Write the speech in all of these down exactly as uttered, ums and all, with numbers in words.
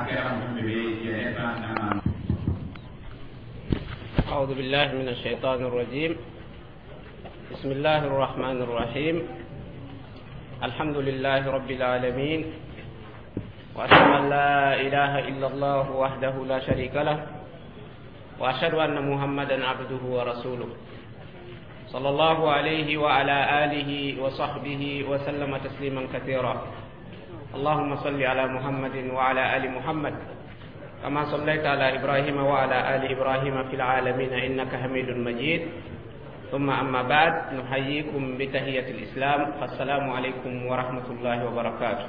hakɛrãmb sẽn be be yaa ned fãa na maan. أعوذ بالله من الشيطان الرجيم. بسم الله الرحمن الرحيم. الحمد لله رب العالمين، وأشهد أن لا إله إلا الله وحده لا شريك له، وأشهد أن محمدا عبده ورسوله صلى الله عليه وعلى آله وصحبه وسلم تسليما كثيرا. اللهم صل على محمد وعلى آل محمد كما صليت على إبراهيم وعلى آل إبراهيم في العالمين إنك حميد مجيد. ثم أما بعد، نحييكم بتحية الإسلام، فالسلام عليكم ورحمة الله وبركاته.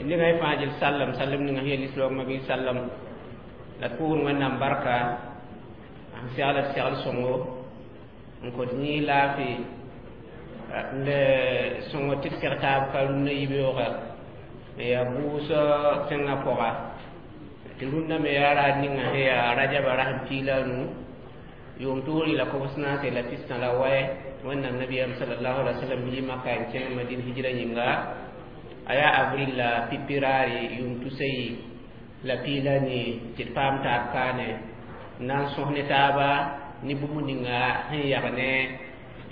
Ni ngay fajil sallam sallam ni nga heli islam mabi sallam la pour wẽnnaam barka n segl d segl sõngo n kot yĩig laafɩ le sõngo tɩ d seg taab ka rũndã yibeooga yaa bʋʋsg tẽngã pʋga tɩ rũndã me yaa raad ninga sẽn yaa rajaba rasem piig la a nu yʋʋm toori la kobs naase la pistã la waɛ wẽnnaam nabiyaam salallahu alai wasallam yi maka n kẽng madin hijra yĩnga a yaa avril la pipi raare yʋʋm tusa yi la piila ni tɩ d paam taab kaane n na n sõs ne taaba ne bũmb ninga sẽn yag ne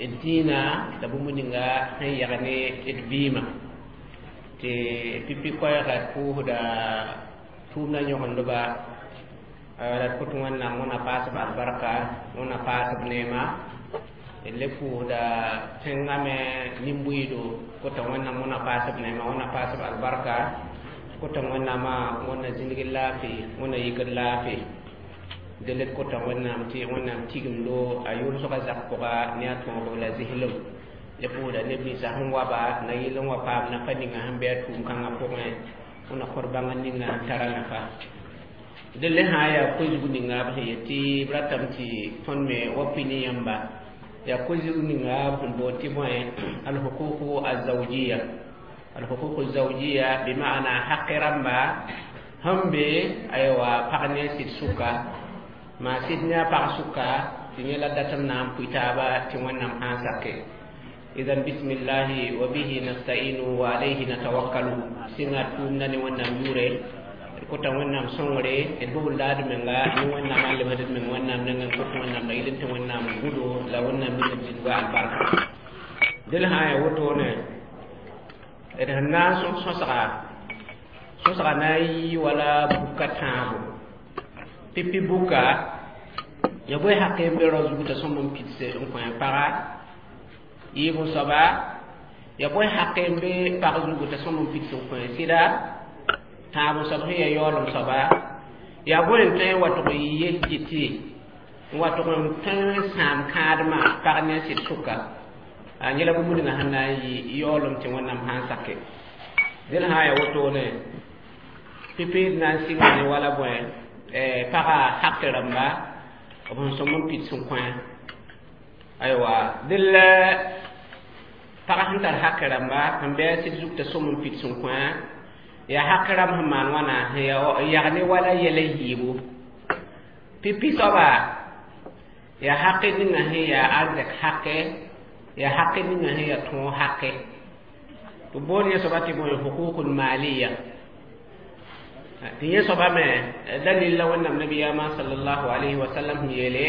d dĩinã la bũmb ninga sẽn yag ne d vɩɩmã tɩ pipi koɛɛga d pʋʋsda tʋʋmdã yõgendba la d kõt wẽnnaam wẽna paasb albarka wẽna paasb neema d le pʋʋsda tẽngã me nin-buiido kota wẽnnaam wẽna paasb neema wẽna paasb albarka kota wẽnnaamã wẽnna zĩndg laafɩ wẽnna yikd laafɩ del d kota wẽnnaam tɩ wẽnnaam tigimdo a yʋlsgã zak pʋga ne a tõogo la zislem le pʋʋsda neb ninsã sẽn wa ba na yɩl n wa paam nafa ninga sẽn bɩ a tʋʋm kãngã pʋgẽ wẽna kõt bãngr ninga sẽn tara nafa del le sã n yaa koe-zug ninga b sẽn yet tɩ b ratame tɩ tõnd me wa pʋɩ ne yãmba yaa koe-zug ninga b sẽn boond tɩ bõe alhuququ azawjiya alhuququ azawjiya bima'ana haqi rãmba sẽn be aywa pag ne a sɩd sʋka maa sɩd ne a pag sʋka tɩ yẽ la datem na n pʋɩ taaba tɩ wẽnnaam sã n sake. Idan bismillahi wa bihi nasta'inu wa alayhi natawakkalu sɩnga tʋʋmda ne wẽnnaam yʋʋre d kota wẽnnaam sõngre d bobl laad menga ne wẽnnaam a lebsd d meng wẽnnaam nengẽ n kot wẽnnaam la yɩl tɩ wẽnnaam gũdo la wẽnnaam ning d zĩnga albarka del sã n yaa wotone d sẽn na n sõs sõsga sõsga na n yɩ wala buka tãabo pipi buka ya bõe haqe n be rao zug t'a sõm n pidse n kõ a paga yiib n soaba ya bõe haqe n be pag zugu t'a sõm n pids n kõ a sɩda tãab n soab sẽn ya yaoolem soaba yaa bõe n tõe n wa tʋg n yel tɩ n wa tʋg n tõe n sãam kãadmã pag ne a sɩd sʋka a yẽla bũmb ninga sẽn na n yɩ yaoolem tɩ wẽnnaam sã n sake dẽl sã n yaa wotone pipi d na n sɩnga ne wala bõe paga haqe rãmba b sẽn sõm n pids n kõ aywa dẽl pag sẽn tar haqe rãmba sẽn bɩ a sɩd zug t'a sõm n pids n kõ yaa haq rãmb sẽn maan wãna n yag ne wala yɛla yiibu pipi soaba yaa haqe ninga sẽn yaa arzɛk haqe yaa haqe ninga sẽn yaa tõog haqe tɩ boond yẽ soaba tɩ bõe huququl maliya tɩ yẽ soaba me dalil la wẽnnaam nabiyaamã sallallahu alayhi wa sallam sẽn yeele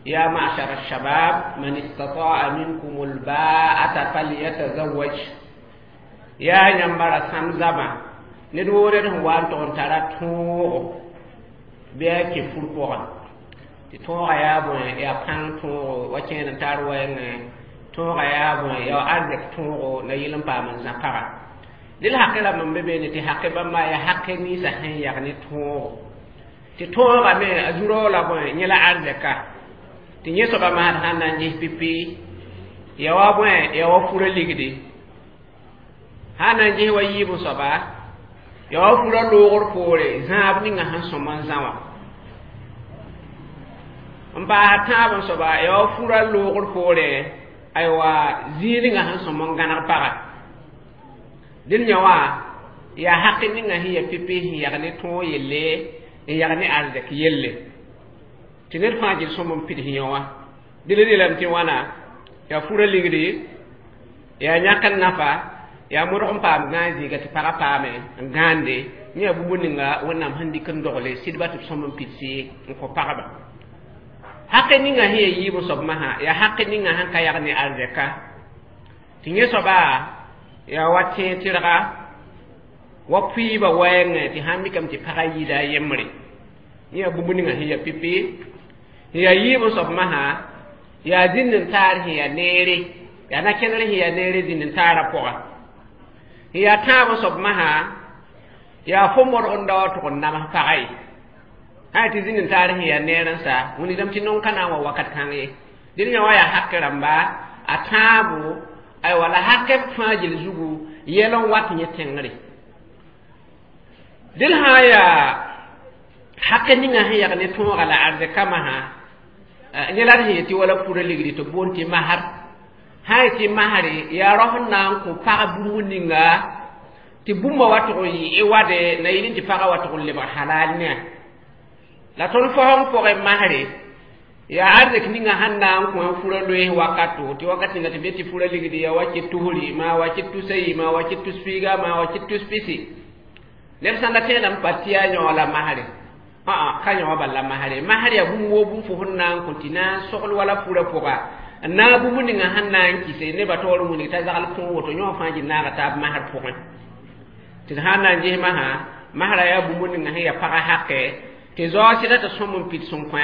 يا معشر الشباب من استطاع منكم الباءة فليتزوج يا ينبرا سمزما ned woo ned sẽn wa n tog n tara tõogo bɩ a kẽ fur pʋgẽ tɩ tõogã yaa bõe yaa pãng tõogo wa kẽed n tar wɛɛngẽ tõogã yaa bõe yaa arzɛk tõogo la yɩl n paam n zã paga dɩl haqe rãmb n be beene tɩ haqe bãmba yaa haqe ninsã sẽn yag ne tõogo tɩ tõogã me a zu-raoog la bõe yẽ la arzɛka tɩ yẽ soaba masd sãn na n ges pipi ya wa bõe ya wa fura ligdi sãn na n ges wa yiib n soaba ya wa fura loogr poore zãab ninga sẽn sõm n zã wã n paas tãab n soaba ya wa fura loogr poore aywa zĩig ninga sẽn sõm n gãneg paga dẽn yã wã yaa haqe ninga sẽn ya pipi sẽn yag ne tõog yelle n yag ne arzɛk yelle tɩ ned fãa gɩl sõm n pid yõ wã dɩl relame tɩ wãna yaa fura ligdi yaa yãk n nafa yaa modg n paam gãag zĩiga tɩ pagã paame n gãande yẽ bũmb ninga wẽnnaam sẽn dɩk n dogle sɩdba tɩ b sõm n pidsi n kõ pagba haqe ninga sẽn ya yiib n soab masã yaa haqe ninga sẽn ka yag ne arzɛka tɩ yẽ soaba yaa wa tẽeg tɩrga wa pʋɩɩba wɛɛngẽ tɩ sãn mikame tɩ pagã yida a yembre yẽ yaa bũmb ninga sẽn ya pipi sẽn yaa yiib n soab masã yaa zĩnd n taar sẽn yaa neere yaa na-kẽner sẽn yaa neere zĩnd n taarã pʋga sẽn yaa tãab n soab masã yaa fo modg n dao tʋg n nams pagã ye sã tɩ zĩnd n taar sẽn yaa neer n sa wilgdame tɩ nong ka na n wa wakat kãng ye dẽn yã wã yaa hak rãmba a tãabo aywa la hakɛ fãa gil zugu yɛl n wat yẽ tẽngre dẽl sã n yaa hakɛ ninga sẽn yag ne tõoga la arzɛka masã yẽ la d sẽn yetɩ wala pura ligdi tɩ boond tɩ masr sã n yetɩ masre yaa rao sẽn na n kõ pag bũmb ninga tɩ bũmba wa tʋg n yɩ wade na yɩl tɩ pagã wa tʋg n lebg halal ne la tõnd fosẽng pʋgẽ masre yaa arzɛk ninga sẽn na n kõ fura loees wakato tɩ wakat ninga tɩ be tɩ fura ligdi ya wakɩ tusri maa wakɩ tusa yi maa wakɩ tus piiga maa wakɩ tus pisi neb sãn da tẽedame pa tɩ yaa yão la masre ã ka yõ bal la masre masr yaa bũmb woo bũmb fo sẽn na n kõ tɩ na n sogl wala fura pʋga n naag bũmb ninga sẽn na n kɩse nebã taoor n wilg t'a zagl kõ woto yõ fãa gil naaga taab masr pʋgẽ tɩ d sãn na n ges masã masrã yaa bũmb ninga sẽn yaa pagã hakɛ tɩ zaoog sɩda tɩ sõm n pid sẽn kõ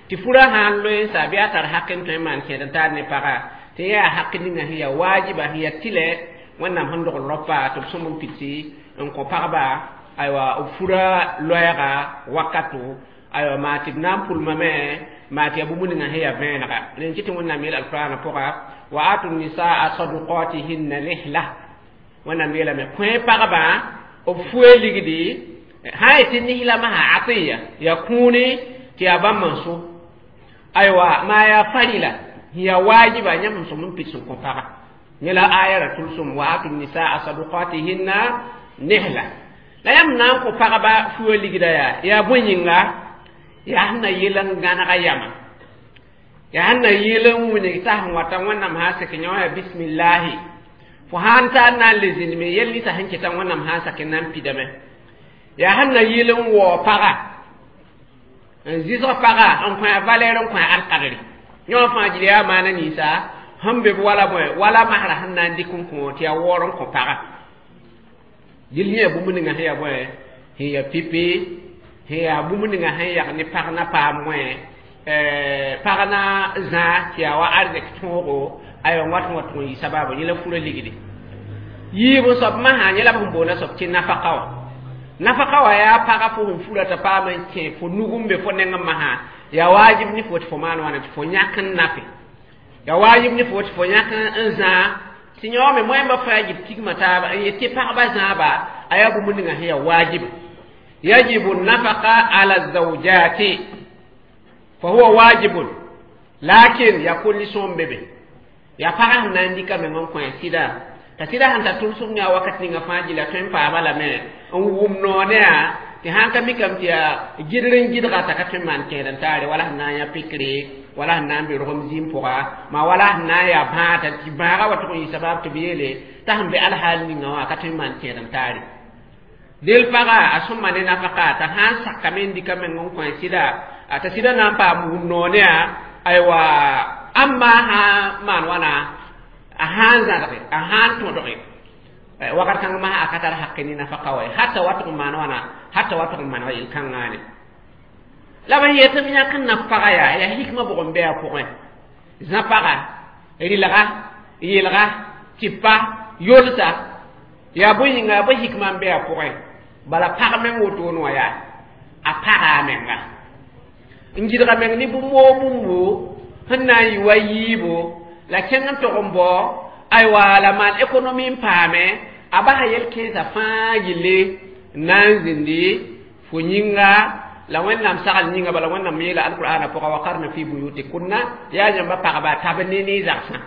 tɩ furã sã n loe n sa bɩ a tar hak n tõe n maan kẽed n taar ne pagã tɩ yaa hak ninga sẽn yaa waajiba sẽn yaa tɩlɛ wẽnnaam sẽn dogl raopa tɩ b sõm n pidsi n kõ pagba aywa b fura loɛɛga wakato aywa maa tɩ b na n pʋlmame maa tɩ yaa bũmb ninga sẽn yaa vẽenega rẽn kɩ tɩ wẽnnaam yeel alqurana pʋga wa atu nisaa sadukatihinna nihla wẽnnaam yeelame kõ pagba b fue ligdi sã n yetɩ nisla masã atiya yaa kũuni tɩ yaa bãmb n so aywa maa yaa farila yaa waajiba yãmb n sõm n pid sẽn kõ paga yẽ la aya ra tʋlsem wa atu nisaa sadukatihinna nihla la yãmb na n kõ pagba fua ligda yaa yaa bõe yĩnga yaa sẽn na yel n gãnega yama yaa sẽn na yel n wilg t'a sẽn wata wẽnnaam sã sek yõ yaa bismillahi fo sãn tar na n le zĩndme yel ninsã sẽn kɩta wẽnnaam sã n sak n na n pidame yaa sẽn na yel n waoog paga n zɩsg paga n kõ a valɛr n kõ a alkadre yõ fãa gil yaa maana ninsa sẽn be b wala bõe wala masra sẽn na n dɩk n kõ tɩ yaa waoor n kõ paga dil yẽ bũmb ninga sẽn yaa bõe sẽn yaa pipi sẽn yaa bũmb ninga sẽn yag ne pag na paam wẽ pag na zãa tɩ yaa wa arzɛk tõogo aywa wat n wa tʋg n yɩ sababu yẽ la fura ligdi yiib n soab masã yẽ la b sẽn boona soab tɩ nafaka wã nafaka wã yaa paga fo sẽn fura t'a paam n kẽ fo nug n be fo nengẽ masã yaa waajib ne fo tɩ fo maan wãna tɩ fo yãk n nape yaa waajib ne fo tɩ fo yãk n zãa tɩ yãoome moẽmbã fãa gil tigmã taaba n yet tɩ pagba zãaba a yaa bũmb ninga sẽn yaa waajiba yajibu nafaka ala zawjati fa huwa wajibun lakin yakun li sõm bebe yaa pagã sẽn na n dɩka meng n kõ a sɩda t'a sɩda sẽn tar tʋlsem ne a wakat ninga fãa gila tõe n paama lame n wʋm noone yaa tɩ sãn ka mikame tɩ yaa gɩdr n gɩdga t'a ka tõe n maan kẽed n taare wala sẽn na n yã pikre wala sẽn na n be rogem zĩim pʋga maa wala sẽn na n yaa bãada tɩ bãaga wa tʋg n yɩ sabab tɩ b yeele t'a sẽn be alhaal ninga wã a ka tõe n maan kẽed n taare del paga a sõma ne nafaka t'a sãn sakame n dɩka meng n kõ a sɩda t'a sɩda na n paam wʋm noone yaa aywa ãmba sã n maan wãna a sã n zãdge a sã n tõdge wakat kãng masã a ka tar hake ne nafaka wa hatta wa tʋg n maan wãna hatta wa tʋg n maneg yel-kãngaane la b yetɩ b yãk n naf paga yaa yaa hikmã bʋg n be a pʋgẽ zã paga rɩlga yelga tɩpa yolsa yaa bõe yĩnga yaa bõe hikmã n be a pʋgẽ bala pag meng wotone wã yaa a paga a menga n gɩdga meng ne bũmb woo bũmbo sẽn na n yɩ wa yiibo la kẽng n tog n bao aywa la maan économie n paame a basa yel-kẽensã fãa gilli n na n zĩndi fo yĩnga la wẽnnaam sagl yĩnga bala wẽnnaam yeela alqur'ana pʋga wa qarna fi buyutikunna yaa yãmba pagba tab ne ne zagsã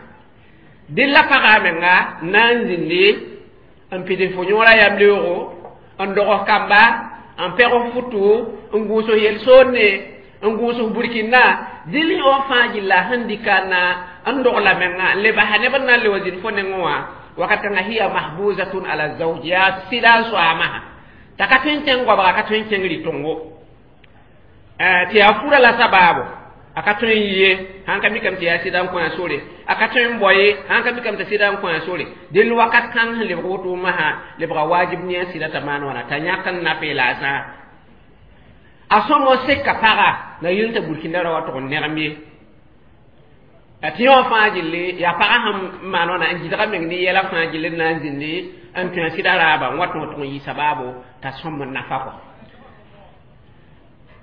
dɩl la paga menga n na n zĩndi n pid fo yõora yam-leoogo n dogs kamba n pɛg futu n gũus yel-soonne n gũus burkina dɩl yõ fãa gilla sẽn dɩka na n dogla menga n le basa neb n na n le wa zĩnd fo nengẽ wã wakat kãngã hiya mahbuzatun ala zawj yaa sɩda n soaamaha T'a ka tõe n kẽng goabga ka tõe n kẽng rɩ-tõngo tɩ yaa fura la sabaabo a ka tõe n yi ye sãn ka mikame tɩ yaa sɩda n kõ a sore a ka tõe n bao ye sãn ka mikame tɩ sɩda n kõ a sore dẽnd wakat kãng sẽn lebg woto masã lebga wajib ne a sɩda t'a maan wãna t'a yãk n na la a zãa a sõmo seka paga na yel t'a burkinda ra wa tʋg n negem ye tɩ yõ fãa gilli yaa pagã sẽn maan wãna n gɩdga meng ne yɛla fãa gilli n na n zĩndi n tõe a sɩda raaba n wa tõog tʋg n yɩ sabaabo t'a sõm n nafa kɔ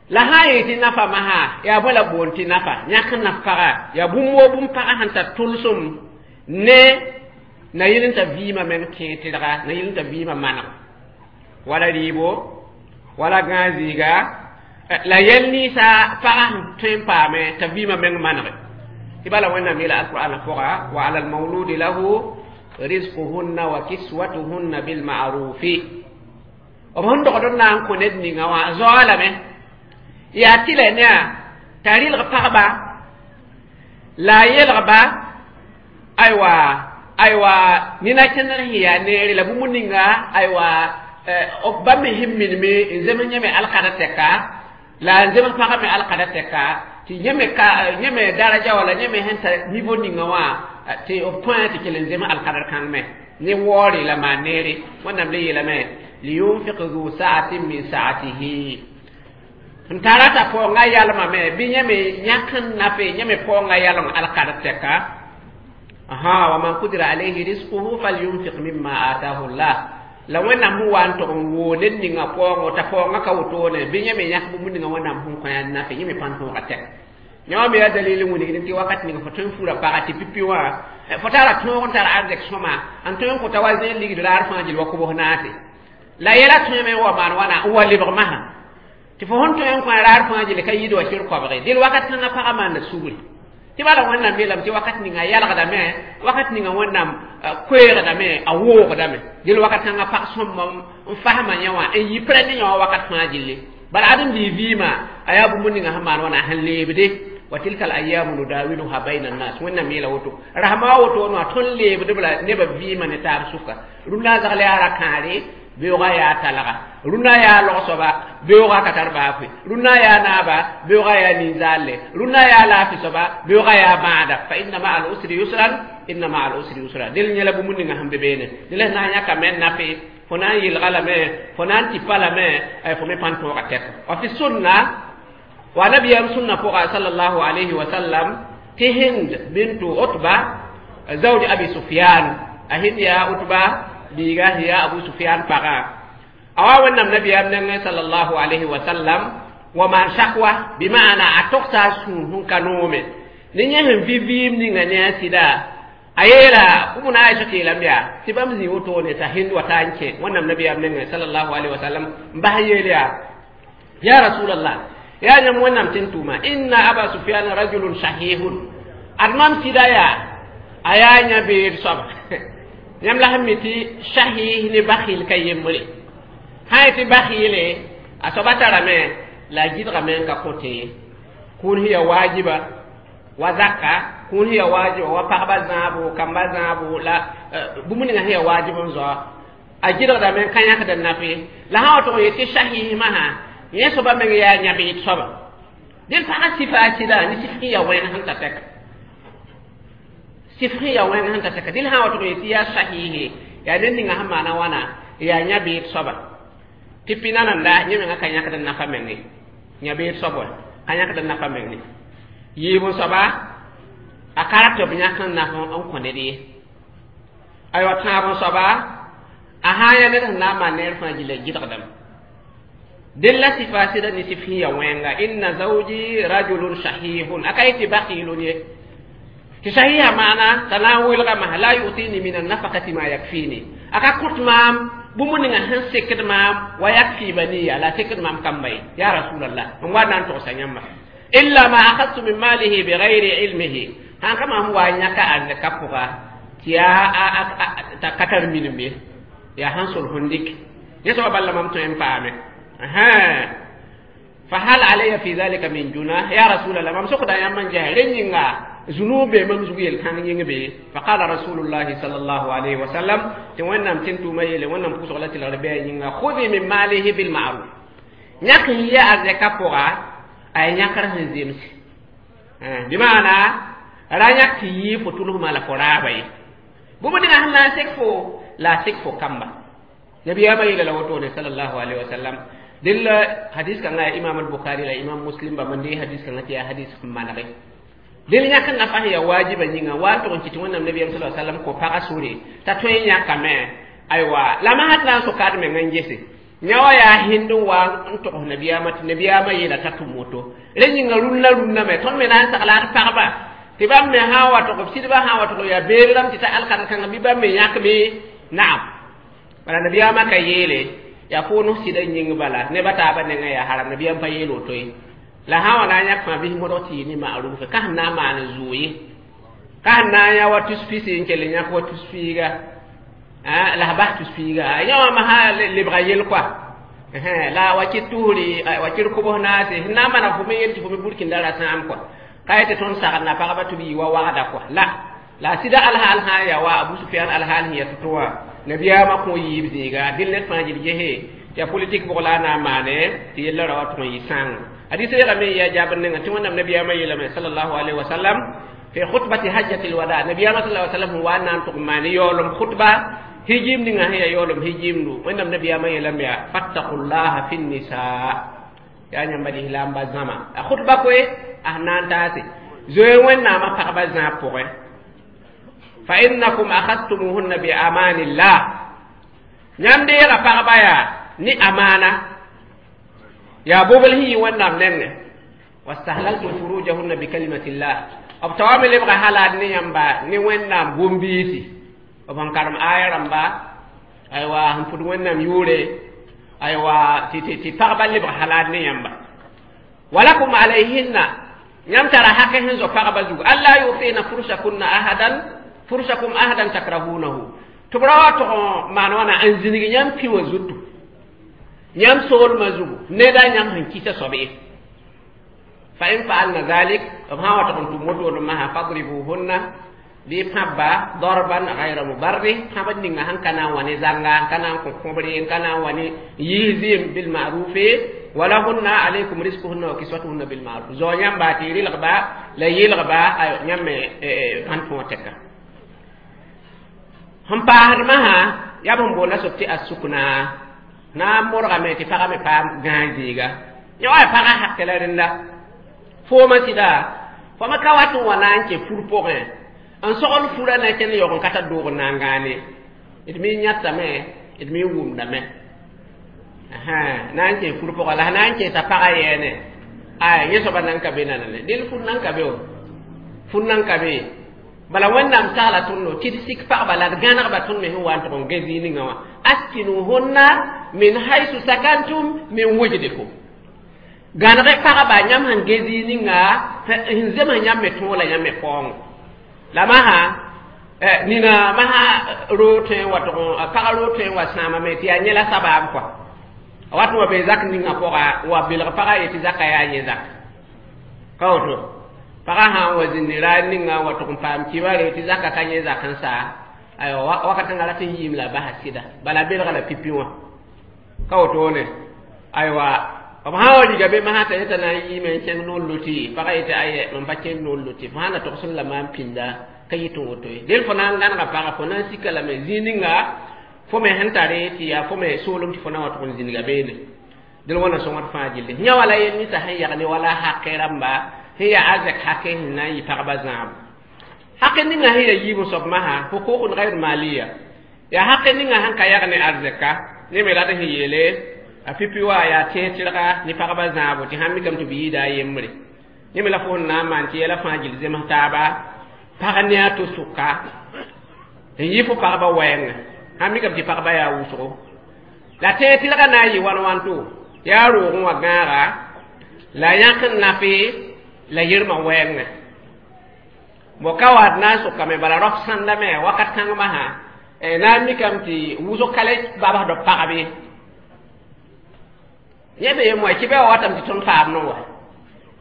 la sã n yɩ tɩ nafa masã yaa bõe la boond tɩ nafa yãk n naf paga yaa bũmb woo bũmb pagã sẽn tar tʋlsem ne na yel n t'a vɩɩmã meng tẽeg tɩrga na yel n t'a vɩɩmã maneg wala rɩɩbo wala gãag-zɩɩga la yɛl ninsã pagã sẽn tõe n paame t'a vɩɩmã meng manege tɩ bala wẽnnaam yeela alqur'ana pʋga wa ala almawludi lahu rizquhunna wa kiswatuhunna bilma'rufi b sẽn dogd n na n kõ ned ninga wã a zaoa lame yaa tɩ la ne a t'a rɩlg pagba la a yelgba aywa aywa nina kẽndr sẽn yaa neere la bũmb ninga aywa bãmb me sẽn minime n zems yẽme alkada tɛka la n zems pagã me alkada tɛka tɩ yẽme ka yẽme daraja wala yẽme sẽn tar niveau ninga wã tɩ b tõe tɩ kell n zems alkadr kãng me ne waoore la maan neere wẽnnaam le yeelame liyunfiq zu saatin min saatihi n tara t'a paoongã yalmame bɩ yẽme yãk n nafe yẽme paoongã yalem alkadr tɛka aha wa man qudira alayhi rizquhu falyunfiq mimma atahu llah la wẽnnaam sẽn wa n tog n woo ned ninga paoongo t'a paoongã ka wotone bɩ yẽme yãk bũmb ninga wẽnnaam sẽn kõ yaa nafe yẽme pãn tõoga tɛk yõ me yaa dalil n wilgd tɩ wakat ning fo tõe n fura paga tɩ pipi wã fo tara tõog n tar arzɛk sõma n tõe n kõta wa zẽen ligd raar fãa gil wa kobs naase la yɛla tõeme n wa maan wãna n wa lebg masã tɩ fo sẽn tõe n kõ raar fãa gil ka yid wa sɩr kobge dẽl wakat kãngã pagã maanda sugri tɩ bala wẽnnaam yeelame tɩ wakat ninga yalgdame wakat ninga wẽnnaam koeegdame a woogdame dẽl wakat kãngã pag sõmba n fasma yẽ wã n yɩ prɛ ne yẽ wã wakat fãa gilli bala ãdem-biig vɩɩmã a yaa bũmb ninga sẽn maan wãna sẽn leebde wa tilka al-ayyamu nudawiluha bayna an-nas wẽnnaam yeela woto rasma woto wã tõnd leebdb la nebã vɩɩmã ne taab sʋka rũndã zagl yaa ra-kãare beoogã yaa talga rũndã yaa log-soaba beoogã ka tar baafɩ rũndã yaa naaba beoogã yaa nin-zaalle rũndã yaa laafɩ soaba beoogã yaa bãada fa inna maa al-usri yusran inna maa al-usri yusra del yẽla bũmb ninga sẽn be beene dẽla sẽn na n yãkame n nafe fo na n yelga lame fo na n tɩpa lame fo me pãn tõoga tɛka wa fi sunna wa nabiyam sunna pʋga sallallahu alayhi wa sallam tɩ hind bintu utba zawj abi sufyan a hind yaa utba biiga yaa abu sufyan pagã a wa wẽnnaam nabiyam nengẽ sallallahu alayhi wa sallam wa maan sakwa bɩmaana a togsa a sũur sẽn ka noome ne yẽ sẽn vɩ vɩɩm ninga ne a sɩda a yeela bũmb na aisha tɩ yeelame yaa tɩ bãmb zĩ wotone t'a hind wa ta n kẽ wẽnnaam nabiyam nengẽ sallallahu alayhi wa sallam n bas yeel yaa ya rasulallah yaa yãmb wẽnnaam tɩ n tʋʋma inna aba sufyan rajulun sahihun ad mam sɩda yaa a yaa yã beed soaba yãmb la sẽn mi tɩ sahih ne bakhil ka yembre sã n tɩ bakhɩɩle a soaba tarame la a gɩdgame n ka kõte ye kũun sẽn yaa waajiba wa zaka kũun sẽn yaa waajiba wa pagba zãabo kamba zãabo la bũmb ninga sẽn yaa waajib n zoa a gɩdgdame n ka yãkd n nafe la sã wa tʋg n yet tɩ sahih masã yẽ soaba meng yaa yãbeed soaba dẽn pagã sɩfa a sɩda ne sɩf sẽn yaa wẽng sẽn ta tɛka sɩf sẽn yaa wẽng sẽn ta tɛka dẽl sã wa tʋg n yet tɩ yaa sahihe yaa ned ninga sẽn maana wãna yaa yãbeed soaba tɩ pina nanda yẽ menga ka yãkd n nafa meng ye yãbeed soab wa ka yãkd n nafa meng ye yiib n soaba a ka rat b yãk n naf n kõ ned ye aywa tãab n soaba a sã n yaa ned sẽn na n maan neer fãa gilla gɩdgdame dẽn la sɩfa sɩda ne sɩf sẽn yaa wẽnga inna zawji rajulun sahihun a ka yetɩ bakhilun ye tɩ sahiha maana t'a na n welga masã la yutini min annafakati ma yakfini a ka kõt maam bũmb ninga sẽn sekd maam wa yakfi baniya la sekd maam kamba ye ya rasulallah n wa na n togsa yãmba illa ma akhadtu min malihi bigayri ilmihi sãn ka maam wa yãka arzɛka pʋga tɩ yaa t'a ka tar minim ye yaa sẽn sol sẽn dɩk yẽ soaba bala mam tõe n paame فهل علي في ذلك من جناح يا رسول الله mam sokda yãmb n ges rẽ yĩnga zunub be mam zug yel-kãng yĩng be فقال رسول الله صلى الله عليه وسلم tɩ wẽnnaam tɩ n tʋʋma yeele wẽnnaam pʋsg la tɩlgr bɩ a yĩnga خذي من ماله بالمعروف yãk n yɛ a zɛka pʋga a yãkr sẽn zemse بمعنى ra yãk tɩ yɩ fo tʋlsmã la fo raaba ye bũmb ninga sẽn na n sek fo la a sek fo kamba nabiyaamã yeela la wotone صلى الله عليه وسلم dɩl hadis kãngã ya imam al-bukhari la imam muslim bãmb n dee hadis kãngã tɩ yaa hadis sẽn manege dẽl yãk n nafa sẽn yaa waajiba yĩnga wa n tʋg n kɩt tɩ wẽnnaam nabiyaam sa sallam kõ pagã sore t'a tõe n yãkame aywa la masd na n soka d meng n gese yã wa yaa hind n wa n togs nabiyaamã tɩ nabiyaamã yeela t'a tʋm woto rẽ yĩnga rũnnã rũnnã me tõnd me na n sagla d pagba tɩ bãmb me sã n wa tʋg b sɩdbã sã n wa tʋg yaa beer rãmb tɩ ta alkar kãngã bɩ bãmb me yãkme naam bala nabiyaamã ka yeele yaa fo no sɩda yĩng bala neba taabã nengã yaa haram nabiyaam pa yeel woto ye la sã wa na n yãk fãa bɩs modg tɩ yɩ ne ma'ruf ka sẽn na n maan zʋʋ ye ka sẽn na n yã wa tus pisi n kell n yãk wa tus piiga la s bas tus piiga yã wã masã lebga yel koa la wa kɩ tusri wa kɩr kobs naase sẽn na n maneg fo me yel tɩ fo me burkĩnda ra sãam koa ka yetɩ tõnd sagdna pagba tɩ b yɩ wa wagda koa la la sɩda alhaal sã n yaa wa abu sufiyan alhaal sẽn ya tʋ wã nabiyaamã kõ yiib zĩiga dɩl ned fãa gil gese ya politik bʋg la a na n maane tɩ yella ra wa tʋg n yɩ sãng hadis reegame yaa jaabr nenga tɩ wẽnnaam nabiyaamã yeelame صلى الله عليه وسلم في خطبة حجة الوداع nabiyaamã صلى الله عليه وسلم wa n na n tʋg n maan yaoolem khutba hijim ninga sẽn yaa yaoolem hijimdu wẽnnaam nabiyaamã yeelame yaa فاتقوا الله في النساء yaa yãmba lislaamba zãma a khutba koe a sẽn na n taase zoe wẽnnaamã pagba zãab pʋgẽ فإنكم أخذتموهن بأمان الله yãmb deega pagba yaa ne amaana yaa bobl sẽn yɩ wẽnnaam nengẽ واستحللتم فروجهن بكلمة الله b taoame lebga halaad ne yãmba ne wẽnnaam gom-biisi b sẽn karem aya rãmba aywa sẽn pʋd wẽnnaam yʋʋre aywa tɩ tɩ pagba lebg halaad ne yãmba ولكم عليهن yãmb tara hakɛ sẽn zo pagba zugu ألا يؤتين فرشكن أحدا فرشكم أحدا تكرهونه tɩ b ra wa tʋg n maan wãna n zĩnig yãmb pĩ wã zutu yãmb soolmã zugu neda yãmb sẽn kɩsa soab ye فإن فعلن ذلك b sã n wa tʋg n tʋm wotone masã فاضربوهن bɩ pãbba ضربا غير مبرح pãb ninga sẽn ka na n wa ne zãnga n ka na n kõ kõbre n ka na n wa ne yiis zɩɩm بالمعروف ولهن عليكم رزقهن وكسوتهن بالمعروف zao yãmba tɩ y rɩlgba la yelgba yãmb me pãn tõog tɛka sẽn paasd masã yaa bõn boonda soab tɩ السكنى na n modgame tɩ pagã me paam gãag zĩiga yã wa pagã hakɛ la rẽnda foomã sɩda fo me ka wat n wa na n kẽ fur pʋgẽ n sogl furã na kẽnd yaoog n ka tar doog n na n gãane d me yãtame d me wʋmdame na n kẽ fur pʋgã la na n kẽesa pagã yɛɛne ay yẽ soaba nan ka be nanane dẽl fur nan ka be o fur nan ka be bala wẽnnaam sagla tõndo tɩ d sik pagba la d gãnegba tõnd me sẽn wa n tʋg n gã zĩig ninga wã أسكنوهن من حيث سكنتم من وجدكم gãneg pagba yãmb sẽn ge zĩig ninga sẽn zems yãmb me tõog la yãmb me paoongo la masã nina masã roog tõe n wa tʋg pag roog tõe n wa sãamame tɩ yaa yẽ la sabaab kɔa a wat n wa be zak ninga pʋga wa belg pagã ye tɩ zaka yaa yẽ zak ka woto pagã sã n wa zĩndi raad ninga wa tʋg n paam kibare tɩ zaka ka yẽ zak n saa aywa wakat kãngã rat n yiim la basa sɩda bala belga la pipi wã ka wotone aywa b sã wa riga be masã t'a yeta na n yiime n kẽng noor loti pagã yetɩ ayɛ mam pa kẽnd noor loti fo sã na togs la maam pĩnda ka yɩ tɩ woto ye del fo na n gãnega pagã fo na n sika lame zĩig ninga fo me sẽn tare tɩ yaa fo me soolem tɩ fo na wa tʋg n zĩniga beene del wãna sõngd fãa gilli yã wala yel ninsã sẽn yag ne wala hakɛ rãmba sẽn yaa arzɛk hakɛ sẽn na n yɩ pagba zãab hakɛ ninga sẽn yaa yiib n soab masã حقوق غير مالية yaa hakɛ ninga sẽn ka yag ne arzɛka ne me rat sẽn yeele a pipi wa yaa tẽeg tɩrga ne pagba zãabo tɩ sãn mikame tɩ b yɩɩda a yembre yẽ me la fo sẽn na n maan tɩ yɛla fãa gill zems taaba pag ne a to sʋka n yɩ fo pagba wɛɛngã sãn mikame tɩ pagba yaa wʋsgo la tẽeg tɩrga na n yɩ wãn wãnto yaa roogẽ wã gãaga la yãk n nafe la yirmã wɛɛngã bo ka waat na n sʋkame bala rap sãndame wakat kãng masã na n mikame tɩ wʋsg ka le babsd b pagbe yẽ be yem wa tɩ bɩ wa watame tɩ tõnd paam no wa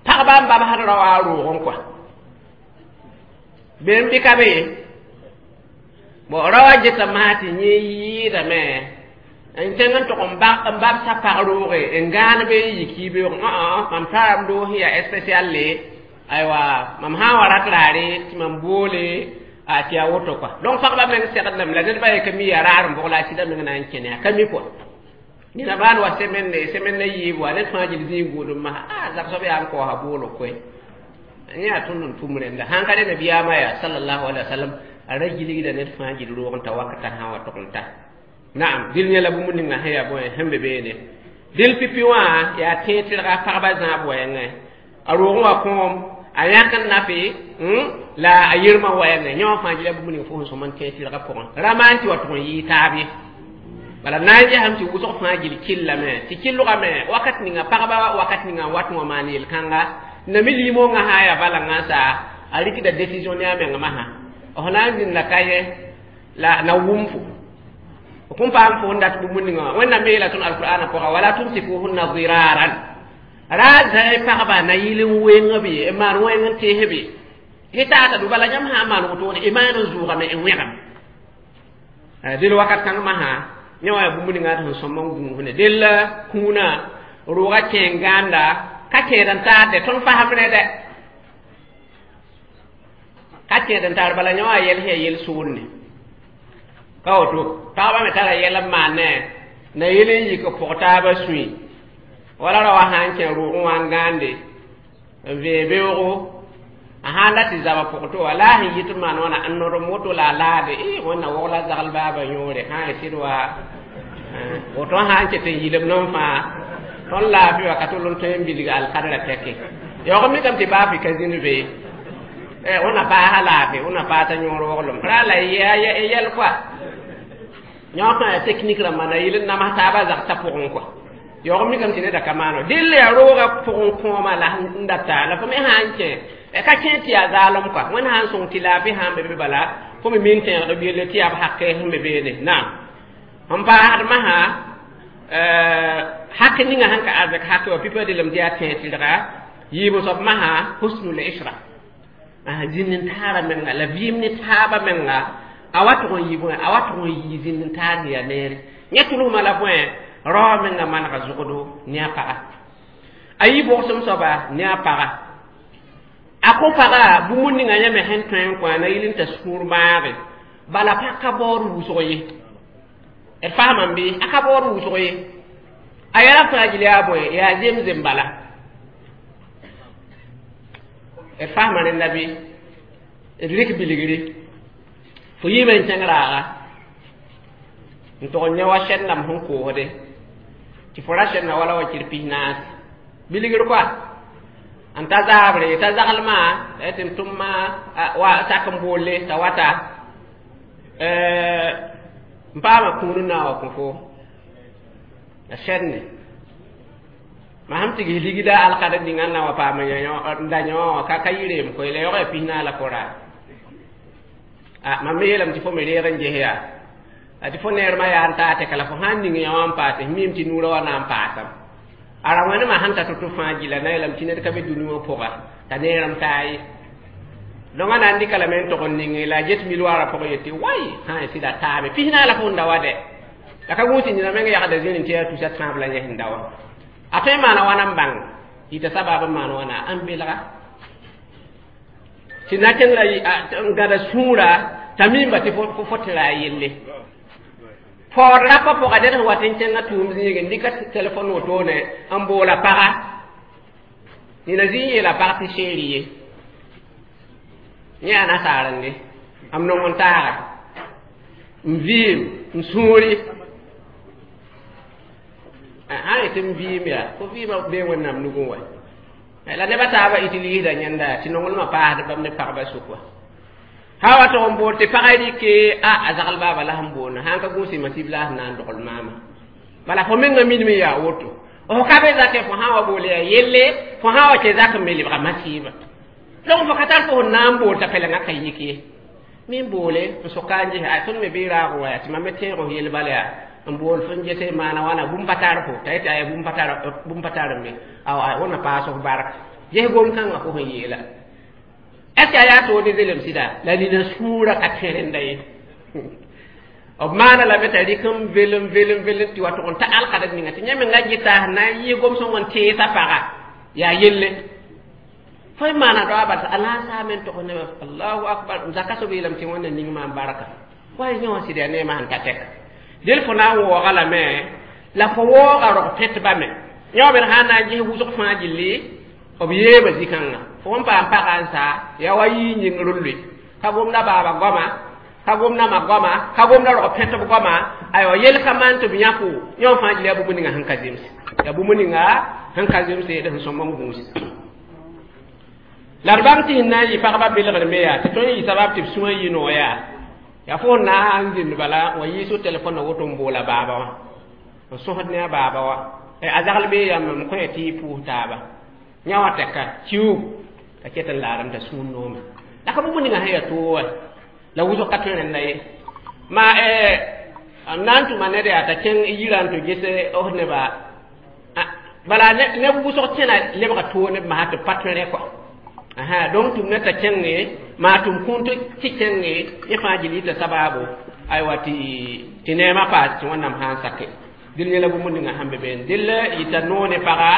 pagba n babsd rao a roogẽ kɔa bem bɩ ka be ye bon rao geta maa tɩ yẽ yɩɩdame n tẽng n tʋg n babsa pag rooge n gãan be n yik yibeoog mam tara m doos yaa spécial le aywa mam sã n wa rat raare tɩ mam boole a tɩ yaa woto kɔa donc pagba meng segdame la ned ba ye ka mi yaa raar n bʋg la a sɩda meng na n kẽne a ka mi kɔa nina baan wa semaine ne semaine na yiib wa ned fãa gil zĩig gũudum masã a zab soab yaa n kaoosa boolg koe yẽ yaa tõnd n tʋm rẽnda sãn ka re nabiyaamã yaa sallallahu alaihi wa sallam a ra gilgda ned fãa gil roog n ta wakata sã wa tʋg n ta naam dil yẽla bũmb ninga sẽn yaa bõe sẽn be beene dil pipi wã yaa tẽeg-tɩrga pagba zãab wɛɛngẽ a roogẽ wa kõom a yãk n nafe la a yirmã wɛɛngẽ yẽ wã fãa gila bũmb ning fo sẽn sõm n tẽeg-tɩrgã pʋgẽ ra maan tɩ wa tʋg n yɩɩ taab ye bala na n gesame tɩ wʋsg fãa gil killame tɩ killgame wakat ninga pagba wakat ninga n wat n wa maan yel-kãnga na mi limongã sã n yaa balangã n sa a rɩkda décision ne a meng masã f na n zĩnda ka yẽ la na wʋm fo f kõn paam fo n dat bũmb ninga wã wẽnnaam me yeela tõnd alqur'ana pʋga wala tumsikuhunna ziraran ra zãe pagba na yɩl n weng b ye n maan wẽng n tees be y taata du bala yãmb sã n maan wotone y maan n zʋʋgame n wẽgame del wakat kãng masã yẽ wã yaa bũmb ninga sẽn sõm n gũusne del kũunã roogã kẽeng gãanda ka kẽed n taade tõnd fasem rẽ dɛ ka kẽed n taar bala yẽ wã yɛl sẽn yaa yel-soolne ka woto pagba me tara yɛl n maane na yel n yik pʋg taabã sũy wala ra wa sã n kẽ roogẽ wã n gãande n vee beoogo a sã n la tɩ zaba pʋg to wa la a sẽn yit n maan wãna n nodem woto la a laade e wẽnna wogla zagl baaba yõore sã n sɩd wa woto sã n ket n yilem non fãa tõnd laafɩ wa ka tol n tõe n bilg alkadrã tɛke yaoog mikame tɩ baafɩ ka zĩnd be wẽnna paasa laafɩ wẽnna paasa yõor woglem ra la yɛl kɔa yõ fãa yaa technique rãmba na yɩl n nams taabã zagsã pʋgẽ kɔa yaoog mikame tɩ neda ka maano dɩll yaa roogã pʋgẽ kõoma la n data la fo me sã n kẽ ka kẽ tɩ yaa zaalem kɔa wẽnd sã n sõng tɩ laafɩ sã n be be bala fo me min tẽegd b yelle tɩ yaa b hakɛ sẽn be beene naam n paasd masã hak ninga sẽn ka arzɛk hake wa pipa delem tɩ yaa tẽeg tɩrga yiib soab masã husnul isra zĩnd n taara menga la vɩɩm ne taabã menga a wa tʋg n yɩ bõe a wa tʋg n yɩ zĩnd n taar sẽn yaa neere yẽ tʋlsmã la bõe rao menga manega zʋgdo ne a paga a yi bʋgsem soaba ne a paga a kõ paga bũmb ninga yẽ me sẽn tõe n kõ a na yɩl n ta sũur maage bala pag ka baood wʋsg ye d faamame bɩ a ka baood wʋsg ye a yɛla fãa gil yaa bõe yaa zemzem bala d faama rẽnda bɩ d rɩk bilgre fo yiime n kẽng raaga n tʋg n yã wa sɛd-dãmb sẽn koosde tɩ fo ra sɛdna wala wa kir pis naas bilgr koa n ta zaabre t'a zaglmã tɩ m tʋm wa sak n boolle t'a wata n paama kũun n na n wa kõ fo a sɛdne ma sãn tigis ligda alkad ninga n na wa paam n da yõ wã ka ka yɩ reem koe la yaoog yaa pis naas la fo raa a mam me yeelame tɩ fo me reeg n ges yaa a tɩ fo neermã yaa n taa tɛka la fo sã n ning yã wã n paase miime tɩ nuurã wa na n paasam a ra wẽnemã sẽn ta to-to fãa gila na yeelame tɩ ned ka be dũni wã pʋga t'a neerem taa ye donc a na n dɩka lame n tog n ninge la a get milwaarã pʋgẽ yetɩ wai sã n sɩda taame pis naas la fo n da wa dɛ la ka gũus tɩ nina meng yagda zĩni tɩ yaa tusa tãab la yẽ sẽn da wa a tõe n maana wãna n bãng yita sabab n maan wãna n belga tɩ na kẽng la n gãda sũurã t'a miimba tɩ fo tɩ ra a yelle paood rapa pʋga ned sẽn wat n kẽngã tʋʋm zĩige n dɩka telefon wotone n boola paga nina zĩ n yeela pag tɩ seeri ye yẽ yaa nasaarende m nong n taaga n vɩɩm n sũuri sã yetɩ m vɩɩm yaa fo vɩɩmã bee wẽnnaam nugẽ wa la nebã taabã utilisda yẽnda tɩ nonglmã paasd bãmb ne pagba sʋk wa sã wa tʋg n bool tɩ pagã rɩke a a zagl baaba la sẽn boonda sã n ka gũus masib la sẽn na n dogl maama bala fo menga minime yaa woto fo ka be zakẽ fo sã n wa bool yaa yelle fo sã n wa kẽ zak n me lebga masiiba donc fo ka tar fo sẽn na n bool t'a pɛlengã ka yik ye min boole n soka n ges a tõnd me bɩ raag wa yaa tɩ mam me tẽeg f yel bala yaa n bool fo n gese maana wãna bũmb pa tar fo t'a yetɩ aya bũmb pa tar bũmb pa tar me awa wẽnna paas f bark ges gom-kãngã fo sẽn yeela est ce que a yaa toog ne zelem sɩda la nina sũurã ka tẽ rẽnda ye b maana lame t'a rɩk n velem velem velem tɩ wa tʋg n ta alkadg ninga tɩ yẽ menga gɩta sẽn na n yɩ gom-sõng n teesa paga yaa yelle fo y maana daoa bal a na n saame n tog nebã allahu akbar zaka soab yeelame tɩ wẽnna ning maam barka wa yẽ wã sɩd yaa neemã sẽn ta tɛka del fo na n waooga lame la fo waooga rog pẽtbã me yẽ wã bed sã n na n ges wʋsg fãa gilli b yeeba zĩ-kãngã fo sẽn paam pagã n sa yaa wa yii yĩngr n loe ka gomda baaba goama ka gomda ma goama ka gomda rog pẽtb goama aywa yel ka maan tɩ b yãko yẽ wã fãa gilli yaa bũmb ninga sẽn ka zemse yaa bũmb ninga sẽn ka zemse d sẽn sõmb n gũus la d bãng tɩ sẽn na n yɩ pagba belgr me yaa tɩ tõnd yɩ sabab tɩ b sũwã yɩ noog yaa yaa fo na n zĩnd bala wa yiis telefon woto n boola baaba wã n sõsd ne a baaba wã a zagl bee yãmb m kõ tɩ y pʋʋs taaba yã wã tɛka kiuug t'a ket n laadem t'a sũur noome la ka bũmb ninga sẽn yaa toog wa la wʋsg ka tõe rẽnda ye ma m na n tʋma ned yaa t'a kẽng yirã n tɩ gese f neba bala neb wʋsg kẽna lebga toog neb masã tɩ b pa tõe rẽ kɔa aha donc tʋm ne t'a kẽnge maa tʋm kũun tɩ kẽnge yẽ fãa gil yita sabaabo aywa tɩ tɩ neemã paas tɩ wẽnnaam sã n sake dɩl yẽla bũmb ninga sẽn be beene dɩl yita noog ne paga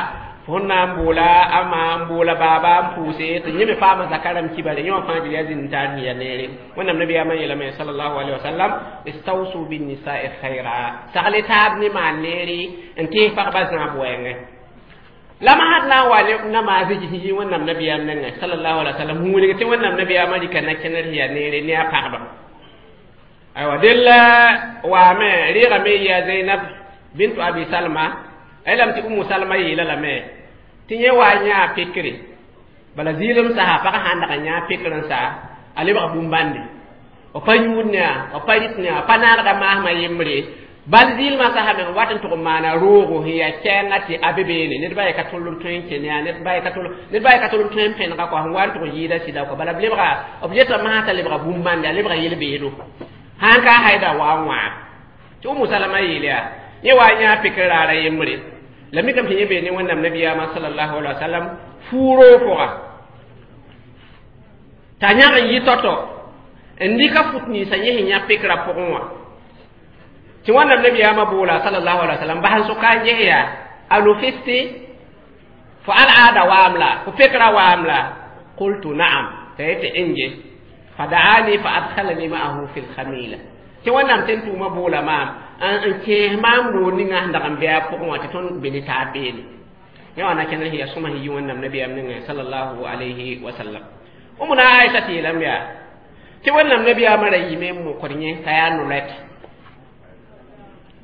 fo sẽn na n boola a ma n boola baaba n pʋʋse tɩ yẽ me paama zaka rãmb kibare yẽ wã fãa gil yaa zĩnd taar sẽn yaa neere wẽnnaam nabiyaamã yeelame sallallahu alaihi wasallam istawsu binnisa'i khaira sagle taab ne maan neere n tees pagba zãab wɛɛngẽ la masd na n wa ne namaas yi wẽnnaam nabiyaam nengẽ sallallahu alaihi wasallam huulig tɩ wẽnnaam nabiyaamã rɩka na-kẽner sẽn yaa neere ne a pagba aywa dell waame rɩɩgame yɩ Zainab bintu Abi Salma a yeelame tɩ Umu Salma yeela lame tɩ yẽ wa yãa pekre bala zɩɩlem sasa pag sã n dag n yãa pekr n sa a lebg bũmb-bãnde b pa yũud ne a b pa rɩt ne a pa naagda maasmã yembre bal zɩɩlmã sasa meng wat n tʋg n maana roogo sẽn yaa kɛɛngã tɩ a be beene ned ba ye ka tõl n tõe n kẽ ne a ned ba ye ka tõl ned ba ye ka tõl n tõe n pẽnega kɔa sẽn wa n tʋg n yɩɩda sɩda kɔ bala b lebga b yeta masã t'a lebga bũmb-bãnde a lebga yel-beedo sãn ka haida wa n wãa tɩ Umu Salama yeel yaa yẽ wa yãa pekr raara yembre la mikame tɩ yẽ bee ne wẽnnaam nabiyaamã sallallahu alaihi wa sallam fuuro pʋga t'a yãg n yɩ tɔtɔ n dɩka fut ninsã yẽ sẽn yã pekrã pʋgẽ wã tɩ wẽnnaam nabiyaamã boola sallallahu alaihi wa sallam bas n soka n ges yaa a lofisti fo al'aada waam la fo pekrã waam la qultu na'am t'a yetɩ n ge fadaani fa adkhalani ma'ahu fi lkhamila tɩ wẽnnaam tẽn tʋʋmã boola maam n kẽes maam roog ninga sẽn dag n bɩ a pʋgẽ wã tɩ tõnd be ne taab beene yẽ wã na kẽner sẽn yaa sõma sẽn yi wẽnnaam nabiyaam nengẽ sallallahu alayhi wa sallam Umuna Aisha tɩ yeelame yaa tɩ wẽnnaam nabiyaamã ra yɩme n mokd yẽ t'a yaa no-rɛt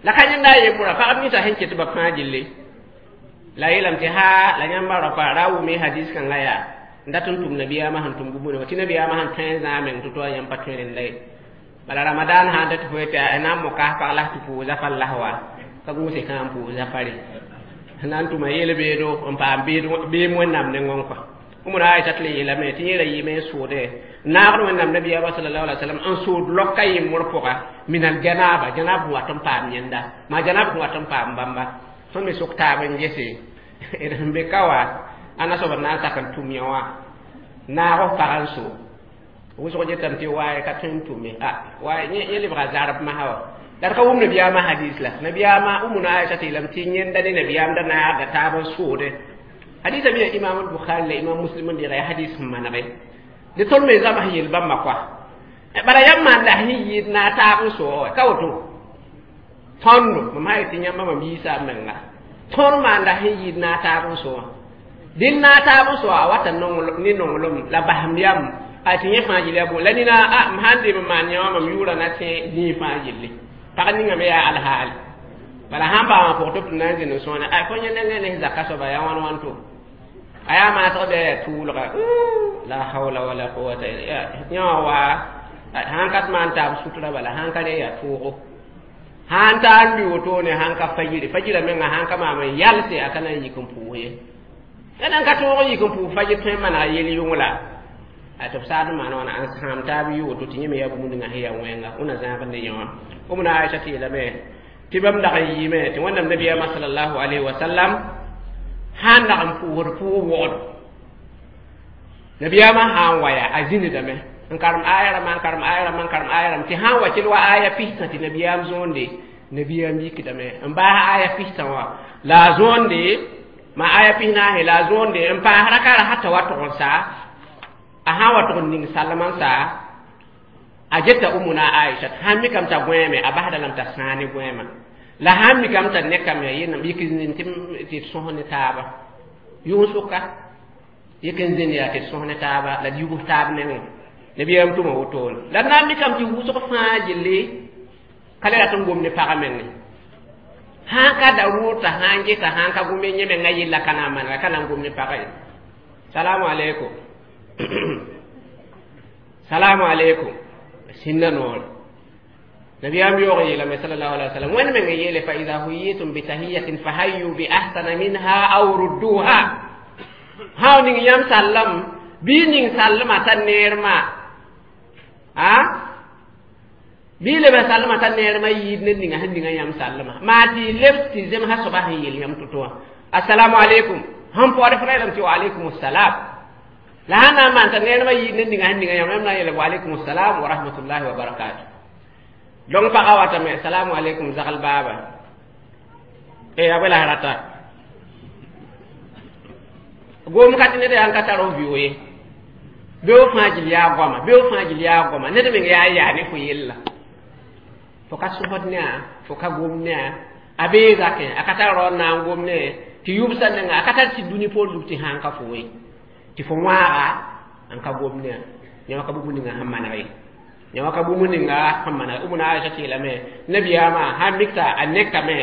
la ka yẽnda a yembra pagb ninsã sẽn ket ba fãa gilli la yeelame tɩ haa la yãmba raopa ra wʋme hadis kãngã yaa n dat n tʋm nabiyaamã sẽn tʋm bũmb wã tɩ nabiyaamã sẽn tõe n zãa meng tɩ to a yãmb pa tõe rẽnda ye bala ramadan sãn ta tɩ fo yetɩ a na n moka pag la tɩ pʋʋs zafar las wa ka gũuse kã n pʋʋs zafare na n tʋma yel-beedo n paam beem wẽnnaam nengẽ kɔa Umuna Aisha tɩ le yeelame tɩ yẽ ra yɩɩme n soode naagd wẽnnaam nabiyaamã sallallahu alaihi wasallam n sood loka yembr pʋga min al janaba janab sẽn wat n paam yẽnda maa janab sẽn wat n paam bãmba tõnd me sok taab n gese d sẽn be ka wa ãnna soab n na n sak n tʋm yã wã naag f pag n so wʋsg getame tɩ waaye ka tõe n tʋme a waay yẽ lebga zarb masã wa la d ka wʋm nabiyaamã hadis la nabiyaamã Umuna Aisha tɩ yeelame tɩ yẽnda ne nabiyaam da naagda taab n soode hadisa mi imam al-Bukhari la imam Muslim n deega yaa hadis sẽn manege dɩ tõnd me zãms yel bãmba koa bala yãmb maan la sẽn yɩɩd na taab n soog ka woto tõndo mam sã yetɩ yãmba mam yiisa m menga tõnd maan la sẽn yɩɩd na taab n soa dɩl na taab n soa a wata ne nonglem la basem yam a tɩ yẽ fãa gil yaa bõ la nina a m sãn dee m maan yã wã mam yʋʋra na tẽ zĩig fãa gilli pag ninga me yaa alhaali bala sãn paamã pʋg tɩ b tɩ na n zĩnd n sõone a fo yẽ nengẽ ne zaka soaba yaa wãn wãn to a yaa maasg bɩ yaa tʋʋlga la hawla wala quwata yã wã waa sãn ka maan taab sutra bala sãn ka re yaa toogo sãn taa n lʋɩ wotone sãn ka fajiri fajira menga sãn ka maam n yalse a ka na n yik n pʋʋs ye la nan ka tõog n yik n pʋʋs fajir tõe n manega yel yʋngla a tɩ b saad n maan wãna n sãam taab yɩ woto tɩ yẽ me yaa bũmb ninga sẽn yaa wẽnga wẽna zãag ne yẽ wã Umuna Aisha tɩ yeelame Tɩ bãmb dag n yɩɩme tɩ Wẽnnaam nabiyaamã sallallahu alayhi wa sallam sãn dag n pʋʋsd pʋʋg wogd nabiyaamã sã n wa yaa a zĩndame n karem aya rãmbã n karem aya rãmbã n karem aya rãmb tɩ sã n wa kell wa aya pistã tɩ nabiyaam zõonde nabiyaam yikdame n baas aya pistã wã la a zõonde ma aya pis-naase la a zõonde n paas raka ra t'a wa tog n sa a sã n wa tog n ning salmã n sa a geta umuna Aisha sãn mikame t'a gõeeme a basda lame t'a sãa ne gõeemã la sãn mikame t'a nekame yẽnam yik n tɩ d sõs ne taaba yʋng-sʋka yik n zĩnd yaa tɩ d sõs ne taaba la d yubs taab nengẽ nabiyaam tʋma wotone la d na n mikame tɩ wʋsg fãa gilli ka le rat n gom ne pagã menge sãn ka daruur t'a sã n geta sãn ka gome yẽ menga yella ka na n manega ka na n gom ne pagã ye salamu aleykum salamu aleykum sĩnda noore nabiyaam yaoog yeelame sallallahu alaihi wasallam wẽnd meng yeele fa ida huyitum bitahiyatin fahayyu bi ahsana minha aw rudduha hao ning yãmb sallem bɩ ning sallmã t'a neermã a bɩ leb sallmã t'a neermã yiid ned ninga sẽn ninga yãmb sallmã maa tɩ leb tɩ zemsã soaba sẽn yel yãmb to-to wã assalamu aleykum sẽn paood fo ra yeelame tɩ wa aleykum assalam la sãn na n maan t'a neermã yiid ned ninga sẽn ninga yãmb yãmb na n yeele wa aleykum assalam wa rahmatullahi wa barakatuh donc pagã watame assalamu aleykum zagl baaba e a bõe la rata gom ka tɩ ned yaa n ka tar f vɩʋ ye beo fãa gil yaa goama beo fãa gil yaa goama ned meng yaa yaa ne fo yella fo ka sõsd ne a fo ka gom ne a a bee zakẽ a ka tar raood na n gom ne tɩ yʋbsã nenga a ka tar tɩ dũni poor zug tɩ sãn ka fo ye tɩ fo wãaga n ka gom ne a yã ka bũmb ninga sẽn maneg ye yã ka bũmb ninga sẽn maneg umuna Aisha tɩ yeelame nabiyaamã sãn mik t'a a nekame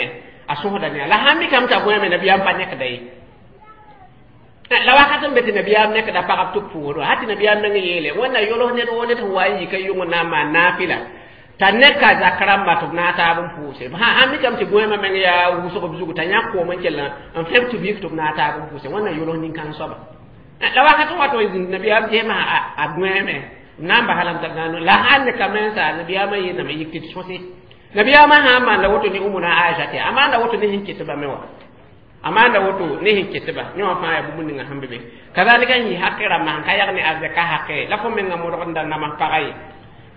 a sõsda ne a la sãn mikame t'a gõeme nabiyaam pa nekda ye la wakat n be tɩ nabiyaam nekda pagb tɩ b pʋʋsd wã tɩ nabiyaam meng yeele wẽnna yols ned woo ned sẽn wa n yika yʋng na n maan naafɩla t'a neka zak rãmba tɩ b na n taab n pʋʋse sãn mikame tɩ gõeemã meng yaa wʋsg b zugu t'a yãk koom n kell n fẽb tɩ b yik tɩ b na n taab n pʋʋse wẽnna yols nin-kãng soaba la wakat n wa tɩ zĩnd nabiyaam gesmã a gõeeme na n basa lame t'a gãano la sãn nekame n sa nabiyaamã yeelame yik tɩ d sõse nabiyaamã sã n maanda woto ne umuna Aisha tɩ a maanda woto ne sẽn ket bame wã a maanda woto ne sẽn ketba yẽ wã fãa yaa bũmb ninga sẽn be be kazalika n yɩ haqe rãmbã sẽn ka yag ne arzɛka haqe la fo menga modg n da nams pagã ye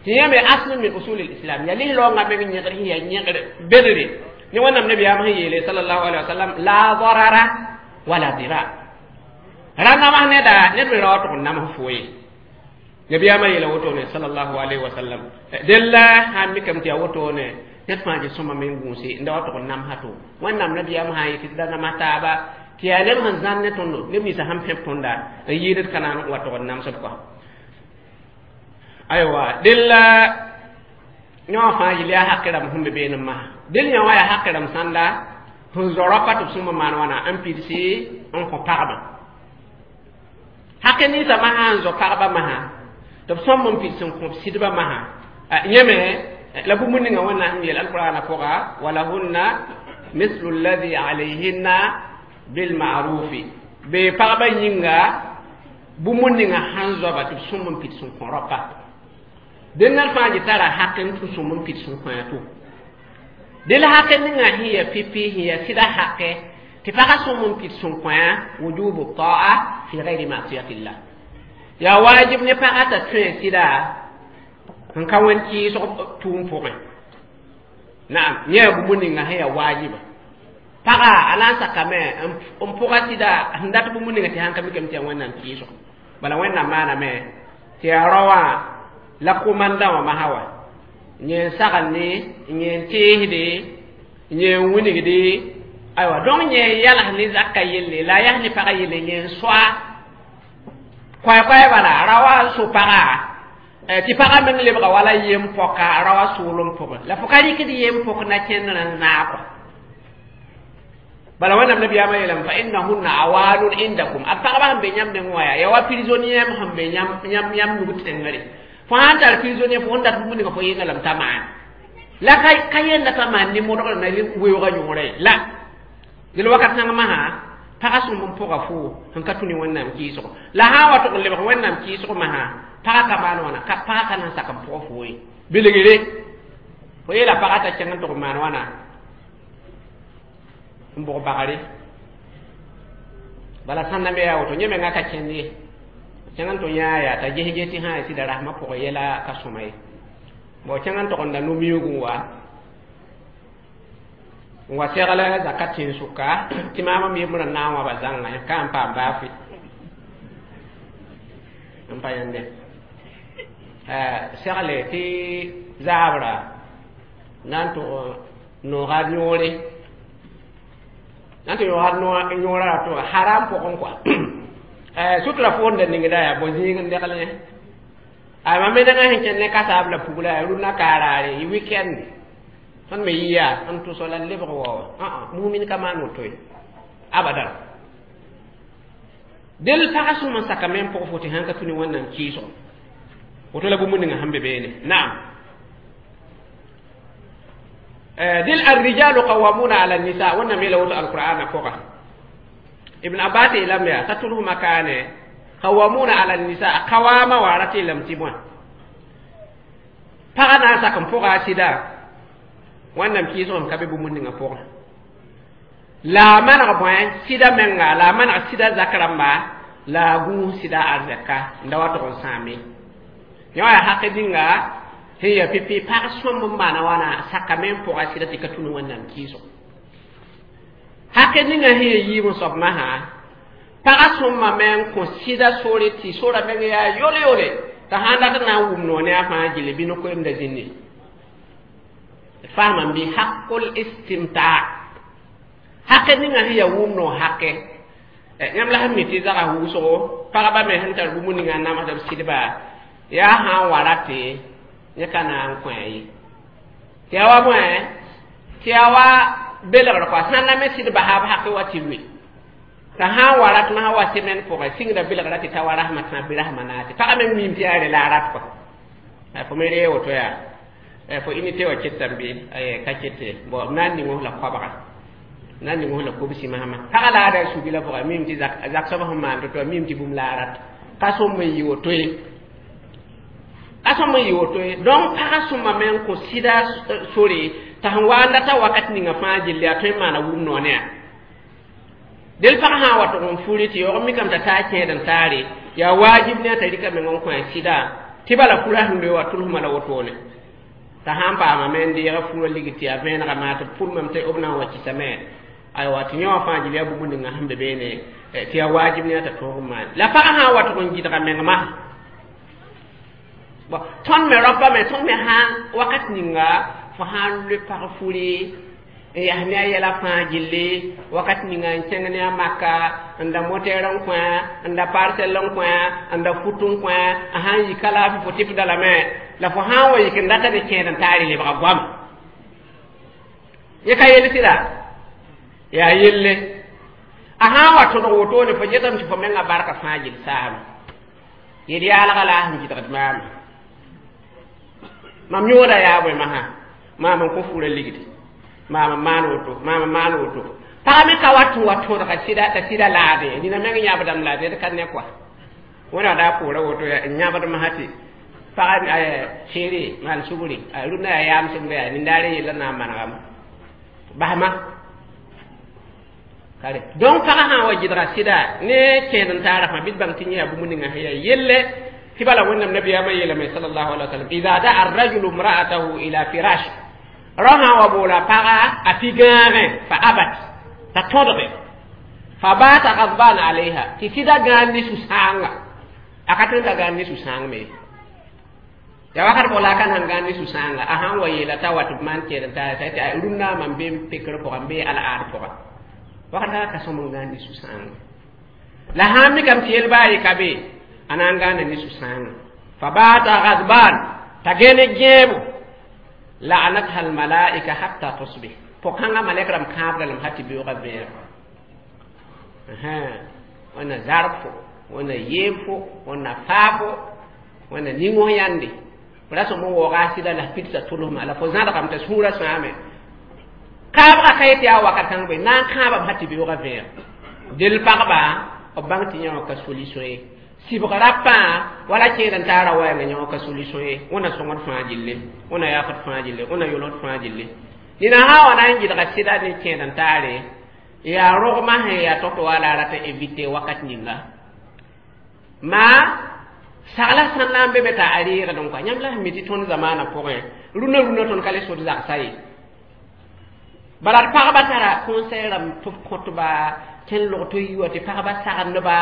tɩ yãmbe asl min usul lislam yaa lis-raoongã meng yẽgr sẽn yaa yẽgr bedre ne Wẽnnaam nabiyaam sẽn yeele sallallahu alaihi wasallam la darara wala dirar ra nams neda ned me ra wa tʋg n nams fo ye nabiyaamã yeela wotone sallallahu alaihi wasallam della sãn mikame tɩ yaa wotone ned fãa gɩ sõma meng gũuse n da wa tʋg n namsa to Wẽnnaam nabiyaam sã n yetɩ tɩ da nams taaba tɩ yaa neb sẽn zãn ne tõndo neb ninsã sẽn pẽb tõnda n yɩɩd d ka na n wa tʋg n namsd kɔa aywa della yã wã fãa yɩl yaa haqe rãmb sẽn be beene masã del yã wã yaa haqe rãmb sãnda sẽn zõ rapa tɩ b sõma maan wãna n pidsi n kõ pagba haqe ninsã masã n zõ pagba masã tɩ b sõm n pids n kõ b sɩdbã masã yẽme la bũmb ninga Wẽnnaam sẽn yeel alqur'ana pʋga walahunna mislu alladhi alayhinna bilma'rufi be pagba yĩnga bũmb ninga sãn zoaba tɩ b sõm n pids n kõ rapa dẽn ned fãa gɩ tara haq n tũ sõm n pids n kõ to del haqe ninga sẽn ya pipi sẽn ya sɩda haqe tɩ pagã sõm n pids n kõ wujubu ta'a fi gayri ma'siyatillah yaa waajib ne pagã t'a tõe sɩda n ka wẽn kɩɩsg tʋʋm pʋgẽ naam yẽ yaa bũmb ninga sẽn yaa waajiba pagã a na n sakame n pʋga sɩda sẽn dat bũmb ninga tɩ sãn ka mikame tɩ yaa Wẽnnaam kɩɩsg bala Wẽnnaam maaname tɩ yaa rao wã la komandã wã masã wa yẽ n sagende yẽ n teesde yẽ n wilgde aywa donc yẽ n yals ne zakã yelle la a yas ne pagã yelle yẽ n soa koɛ-koɛ bala ra wa n so pagã tɩ pagã meng lebga wala yem pɔka ra wa soolem pʋgẽ la fo ka rɩkd yem pʋk na kẽndrã n naag bala Wẽnnaam nabiyaamã yeelame fa innahunna awanun indakum a pagba sẽn be yãmb neng wã yaa yaa wa prisonnier sẽn be yãmb yãmb nug tẽngre fo sãn tar prisonnier fo sẽn dat bũmb ninga fo yẽnga lame t'a maan la ka yẽnda t'a maan ne modgr na weoogã yõore la del wakat kãng masã pagã sõm n pʋga fo sẽn ka tũ ne Wẽnnaam kɩɩsgo la sã n wa tʋg n lebg Wẽnnaam kɩɩsg masã pagã ka maan wãna ka pagã ka na n sak n pʋg fo ye bilgre fo yeela pagã t'a kẽng n tʋg n maan wãna n bʋg bagre bala sãn na me yaa woto yẽ menga ka kẽnd ye kẽng n tɩ yãa yaa t'a ges ges tɩ sã n sɩda rasmã pʋgẽ yɛla ka sõma ye bon kẽng n tog n da no-miuug n wa n wa segl zaka tẽn-sʋka tɩ maam m yembrã n na n wãba zãnga ka n paam baa fɩ n pa yãnde segle tɩ zaabra na n tʋg nooga yõore na n tɩ yõoga yõora ra tʋga haram pʋgẽ kɔa sutura foonda ningda yaa bõ zĩig n degl yẽ a mam me nengã sẽn kẽnd ne kasaab la pugla yaa rũnã kaaraare yɩ weekend tõnd me yɩ yaa n tʋsg la lebg wa mumin ka maan woto ye abadan del pagã sõm n sakame n pʋg fo tɩ sãn ka tũ ne wẽnnaam kɩɩsgo woto la bũmb ninga sẽn be beene naam dil الرجال قوامون على النساء wẽnnaam yeela woto alqur'ana pʋga ibn abbas yeelame yaa t'a tʋlsmã kaane قوامون على النساء qawama wa ra tɩ yeelame tɩ bõe pagã na n sak n pʋga a sɩda wẽnnaam kɩɩsgem ka be bũmb ninga pʋgẽ la a maneg bõe sɩda menga la a maneg sɩda zak rãmba la a gũus sɩda arzɛka n da wa tʋg n sãame yã wa yaa haq ninga sẽn yaa pipi pag sõmb n maana wãna sakame n pʋga sɩda tɩ ka tũ ne wẽnnaam kɩɩsgo haq ninga sẽn yaa yiib n soab masã pagã sõmbame n kõ sɩda sore tɩ sora meng yaa yole-yole t'a sãn dat n na n wʋm noor ne a fãa gilli bɩ no-koeemda zĩndi fahmam bɩ haqul istimta haqe ninga sẽn yaa wʋm noor haqe yãmb la sẽn mi tɩ zaga wʋsgo pagba me sẽn tar bũmb ninga n namsd b sɩdba yaa sã n wa rate yẽ ka na n kõ ye tɩ yaa wa bõe tɩ yaa wa belgr kɔa sãn na me sɩd basa b haqe wa tɩ lʋɩ t'a sã n wa rat masã wa semaine pʋgẽ sɩngda belgra tɩ ta wa rasmã tã bɩ rasmã naase pagã me miim tɩ yaa re la a rat kɔa fo me ree woto yaa fo unité wã ketame bɩ ka kete bon b na n ning la koabga na n ning la kobsi masma pagã la a da sugi la pʋgã miim tɩ zak soab sẽn maan to-to miim tɩ bũmb la a rat ka sõm n yɩ woto ye ka sõm n yɩ woto ye donc pagã sõmame n kõ sɩda sore t'a sẽn wa n data wakat ninga fãa gilli a tõe n maana wʋm noor ne a del pagã sã n wa tʋg n furi tɩ yaoog mikame t'a taa kẽed n taare yaa waajib ne a t'a rɩka meng n kõ a sɩda tɩ bala fura sẽn loe wa tʋlsmã la wotone t'a sãn paamame n deega furã ligd tɩ yaa vẽenega maa tɩ b pʋlmame tɩ b na n wa kɩsame aywa tɩ yã wã fãa gil yaa bũmb ninga sẽn be beene tɩ yaa waajib ne a t'a tõog n maan la pagã sã n wa tʋg n gɩdga meng masã bon tõnd me raopa me tõnd me sãn wakat ninga fo sãn loe pag furi n yaa ne a yɛla fãa gilli wakat ninga n kẽng ne a maka n da motɛɛr n kõ n da parsɛl n kõ n da fut n kõ a sãn yi ka laafɩ fo tɩpda lame la fo sãn wa yik n data ne kẽed n taar lebga goam yẽ ka yel sɩda yaa yelle a sãn wa tõdg wotone fo getame tɩ fo menga barka fãa gill saame yel yaalga la a sẽn gɩdgd maama mam yõoda yaa bõe masã maam n kõ fura ligdi maam n maan woto maam n maan woto pagã me ka wat n wa tõdga sɩda t'a sɩda laade nina meng yãbdame la d ka ne kɔa wẽna daa poora woto n yãbd masã tɩ pagã seere maan sugri rũndã yaa yaamsem yaa nindaare yella na n manegame basma kare donc pagã sã n wa gɩdga sɩda ne kẽed n taara fãa bɩ d bãng tɩ yẽ yaa bũmb ninga sẽn yaa yelle tɩ bala wẽnnaam nabiyaamã yeelame sallallahu alaihi wa sallam ida daa arrajulu imra'atahu ila firash rao sã n wa boola paga a pi gãagẽ fa abat t'a tõdge fa baata gadban alayha tɩ sɩda gãan ne su-sãanga a ka tõe n ka gãan ne su-sãang me ya wakat bʋg la a ka nan gãan ne su-sãanga a sãn wa yeela t'a wat b maan kẽed n taara t'a rũnnã mam be n pekr pʋgã n bee al-aad pʋgã wakat ka ka sõm n gãan ne su-sãanga la sãn mikame tɩ yel baa ye ka be a na n gãana ne su-sãanga fa baata gadban t'a gẽne gẽebo la'anatha almalaika hatta tusbih pʋg-kãngã malɛk rãmb kãabda lame ha tɩ beoogã vẽeg wẽnna zarb fo wẽnna yeeb fo wẽnna faa fo wẽnna ning-f yãnde fo ra sõm n waooga a sɩda la f pidsa tʋlsma la fo zãdgame t'a sũurã sãame kãabgã ka yetɩ yaa wakat kãng bõe na n kãabame ha tɩ beoogã vẽeg del pagba b bãng tɩ yã wã ka solution ye sɩbg rapã wala kẽed n taara wɛɛngã yã wã ka solution ye wẽnna sõngd fãa gilli wẽnna yaafd fãa gilli wẽnna yolsd fãa gilli nina sã n wa na n gɩdga sɩda ne kẽed n taare Yaa rogmã sẽn yaa tog-tog wa la a rat n éviter wakat ninga maa sagla sãn na n be be t'a a reegd n kɔa yãmb la sẽn mi tɩ tõnd zamaanã pʋgẽ rũnã rũnã tõnd ka le sod zagsa ye bala d pagba tara conseil rãmb tɩ b kõtba kẽn log tɩ yi wa tɩ pagba sagendba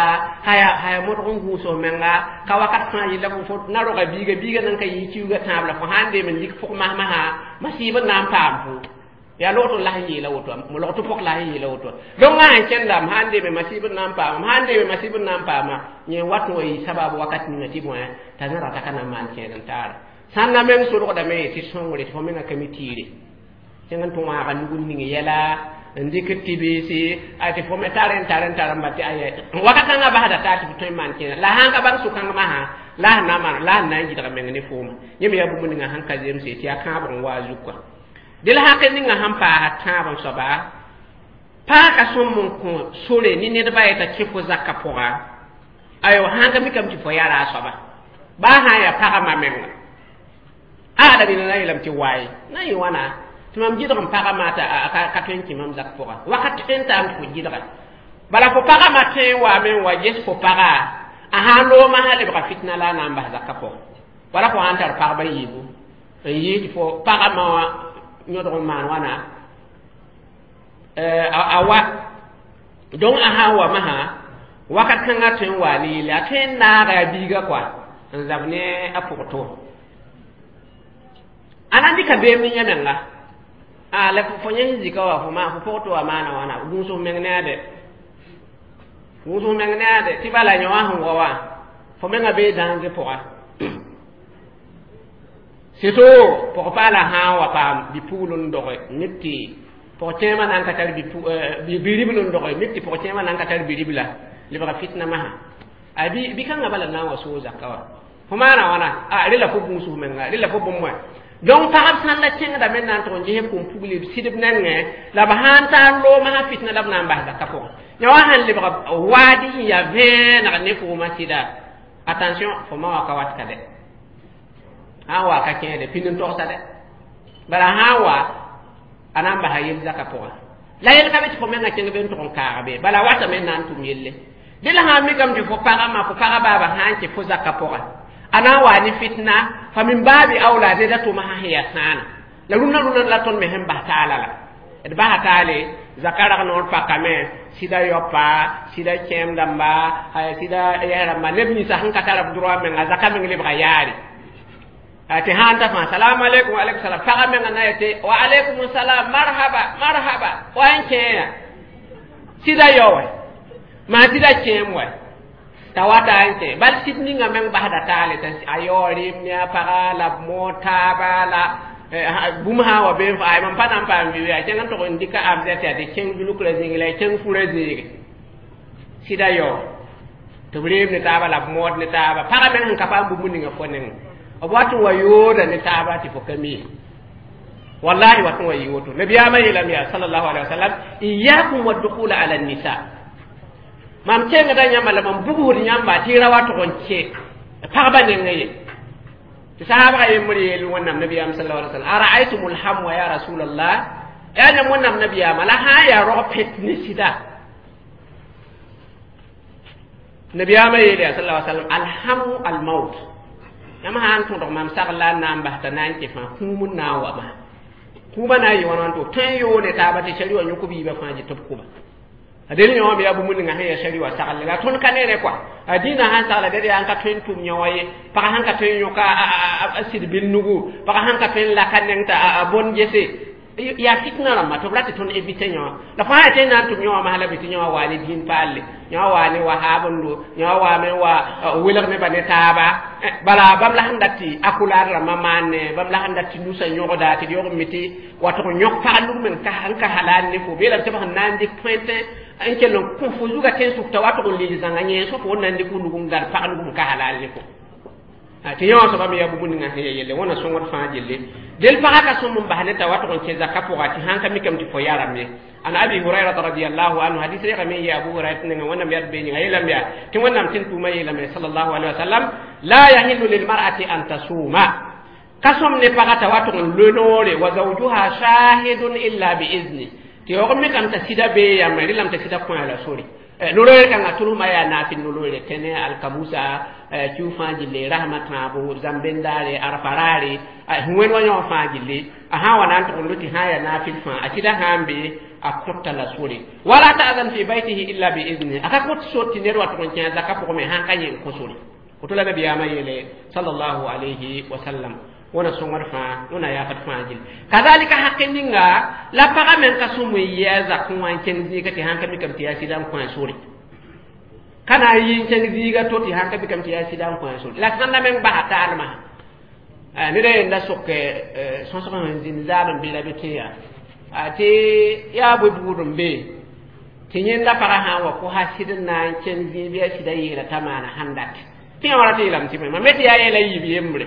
haya haya modg n gũus f menga ka wakat fãa yella fo fo na roga biiga biiga nan ka yɩ kiuga tãab la fo sãn deem n lik pʋg masmasã masiib n na n paam fo yaa log tɩ la sẽn yeela woto log tɩ pɔk la sẽn yeela woto donc ã sẽn kẽndame sãn deeme masiib n na n paama sãn deeme masiib n na n paama yẽ wat n wa yɩ sabab wakat ninga tɩ bõe t'a zã rata ka na n maan kẽed n taara sãn na meng solgdame tɩ sõngre tɩ fo menga ka mi tiire kẽng n tɩ wãaga nug n ning yɛla n dɩk tɩ-biisi a tɩ fo me tar n tar n tar n ba tɩ aya wakat kãngã basda taa tɩ f tõe n maan kẽeda la sãn ka bãng sʋ-kãng masã la sẽn na n maan la sẽn na n yidg meng ne fooma yẽ me yaa bũmb ninga sẽn ka zemse tɩ yaa kãabg n wa a zug kɔa dɩ la hãk ninga sẽn paasa tãab n soaba paaka sõm n kõ sore ne nedbã yeta kẽ fo zakã pʋga ayo sãn ka mikame tɩ fo yara a soaba baa sã n yaa pagã menga a la nina na yeelame tɩ waye na yɩ wãna tɩ mam gɩdg n pagã maata ka tõe n kẽ mam zak pʋga wakat tõe n taam tɩ fo gɩdga bala fo pagã ma tõe n waame n wa ges fo pagã a sãn loomã sã lebga fitna la a na n bas zakã pʋgã wala fo sãn tar pagba yiibu n yɩɩ tɩ fo pagã ma wã yõdg n maan wãna a wa donc a sãn wa masã wakat kãngã tõe n wa ne yelle a tõe n naaga a biiga kɔa n zab ne a pʋgto a na n dɩka beem ne yã menga a la fo yẽ sẽn zika wa fo ma fo pʋgto wa maana wãna gũus f meng ne a de gũus f meng ne a de tɩ bala yõ wã sẽn wa wã fo menga bee dãnge pʋga surtout pʋg-paala sã n wa paam bi-pugl n doge mik tɩ pʋg-kẽemã na n ka tar bi-ribl n doge mik tɩ pʋg-kẽemã na n ka tar bi-ribla lebga fitna masã a bi bi-kãngã bala na n wa soog zakã wa fo maana wãna a rela fo gũus f menga rela fo bũmb wã donc pagb sãn la kẽngdame n na n tʋg n ges b kũm-pugl b sɩdb nengẽ la b sãn tar loomã sã fitna la b na n bas zakã pʋgẽ yã wã sãn lebg waadi sẽn yaa vẽeneg ne foomã sɩda attention fo ma wa ka wat ka dɛ sãn wa ka kẽede pĩnd n togsa dɛ bala sãn wa a na n basa yel zakã pʋgã la yel ka be tɩ fo menga kẽng be n tʋg n kaag be bala watame n na n tʋm yelle dẽ la sãn mikame tɩ fo pagã ma fo pagã baaba sãn kẽ fo zakã pʋgã a na n wa ne fitna fa min baabi awla neda tʋma sã sẽn yaa sãana la rũnã rũnã la tõnd me sẽn bas taala la d basa taale zaka rag noor pakame sɩda yaopa sɩda kẽem dãmba sɩda yɛs rãmba neb ninsã sẽn ka tar b droit menga zaka meng lebga yaare tɩ sãn ta fãa salamu aleykum wa aleykum salam pagã menga na yetɩ wa aleykum salam marhaba marhaba wa n kẽeya sɩda yao wɛ maa sɩda kẽem wɛ t'a wata n kẽ bal sɩd ninga meng basda taale t'a a yao rɩɩm ne a paga la b mood taaba la bũmb sã n wa bee ay mam pa na n paam bi a kẽng n tʋg n dɩka abzɛ tɩ yaa tɩ kẽng zulkrã zĩig la y kẽng furã zĩige sɩda yao tɩ b reem ne taaba la b mood ne taaba pagã meng sẽn ka paam bũmb ninga fo nengẽ b wat n wa yooda ne taaba tɩ fo ka mi wallahi wat n wa yɩ woto nabiyaamã yeelame yaa sallallahu alaihi wasallam iyakum waddukhula ala nisa mam kẽngda yãmba la mam bugsd yãmba tɩ y ra wa tʋg n kẽ pagba nengẽ ye tɩ sahabga yembr yeel wẽnnaam nabiyaam sallallahu alaihi wasallam araaytum lhamwa ya rasulallah yaa yãmb wẽnnaam nabiyaama la sã n yaa rog pet ne sɩda nabiyaamã yeel yaa sallallahu alaihi wasallam alhamu almaut yãmb sã n tõdg mam sagl la n na n bas t'a na n kẽ fãa kũum n na n wa ma kũumã na n yɩ wãn wãn tɩ tõe n yoone taaba tɩ sari wã yõk biibã fãa jɩ tɩ b kʋba a del yõ me yaa bũmb ninga sẽn yaa sari wã sagle la tõnd ka neere kɔa a dĩinã sãn sagla ded yaa n ka tõe n tʋm yõ wã ye pagã sãn ka tõe n yõka a sɩd bil nugu pagã sãn ka tõe n laka neng t'a a bõn gese yaa fitna rãmba tɩ b ra tɩ tõnd évite yõ wã la fo sã yaa tɩ n na n tʋm yõ wã masla bɩ tɩ yõ wã waa ne dĩin paalle yõ wã waa ne wahaabndo yõ wã waame wa welg nebã ne taaba bala bãmb la sẽn dat tɩ akulaad rãmbã maanne bãmb la sẽn dat tɩ nusã yõgda tɩ d yog n mi tɩ wa tʋg n yõk pag nug meng n ka halal ne fo beelame tɩ b sẽn na n dɩk poẽntẽ n kell n kõ fo zuga tẽn-sʋk t'a wa tʋg n lil zãnga yẽ so fo na n dɩk fo nug n gad pag nug n ka halal ne fo tɩ yõ soaba me yaa bũmb ninga sẽn ya yelle wẽna sõngd fãa gelle del pagã ka sõm n bas ne t'a wa tʋg n kẽ zakã pʋga tɩ sãn ka mikame tɩ fo yarame ye an abi hurairata radiallahu anhu hadis rega me ye abu hurairata nenga wẽnnaam yaa b bee yĩnga yeelame yaa tɩ wẽnnaam tɩ n tʋʋmã yeelame sallallahu alaihi wasallam la yahillu lilmar'ati an tasuma ka sõm ne pagã t'a wa tʋg n loe noore wa zawjuha shahidun illa biizni tɩ Tɩ yaoog mikame t'a sɩda bee yãmb rɩlame t'a sɩda kõ la sore nolooer kãngã tʋlsmã yaa naafɩ noloore tẽne alkamusa kiu fãa gilli rasmã tãabo zãm-bendaare arfa raare sẽn wẽnd wa yõ fãa gilli a sã n wa na n tʋg n loe tɩ sã n yaa naafɩl fãa a sɩda sã n be a kõta la sore wala ta'zan fi baytihi illa bi izni a ka kõt sor tɩ ned wa tʋg n kẽ a zaka pʋgẽ me sãn ka yẽ n kõ sore woto la nabiyaamã yeele sallallahu alayhi wa sallam wẽna sõngd fãa wẽna yaafd fãa gill kazalika haqe ninga la pagã meng ka sõm n yɩ a zakẽ wã n kẽng zĩiga tɩ sãn ka mikame tɩ yaa sɩda n kõ a sore ka na n yɩ n kẽng zĩiga to tɩ sãn ka mikame tɩ yaa sɩda n kõ a sore la sãnda meng basa taalmã neda yenda sok sõsg sẽn zĩnd zaab n be la be tẽ yaa tɩ yaa bõe buud n be tɩ yẽnda pagã sã n wa kosa sɩd n na n kẽng zĩig bɩ a sɩda yeela t'a maana sãn dat tɩ yã wa rat yeelame tɩ mam me tɩ yaa yɛla yiib yembre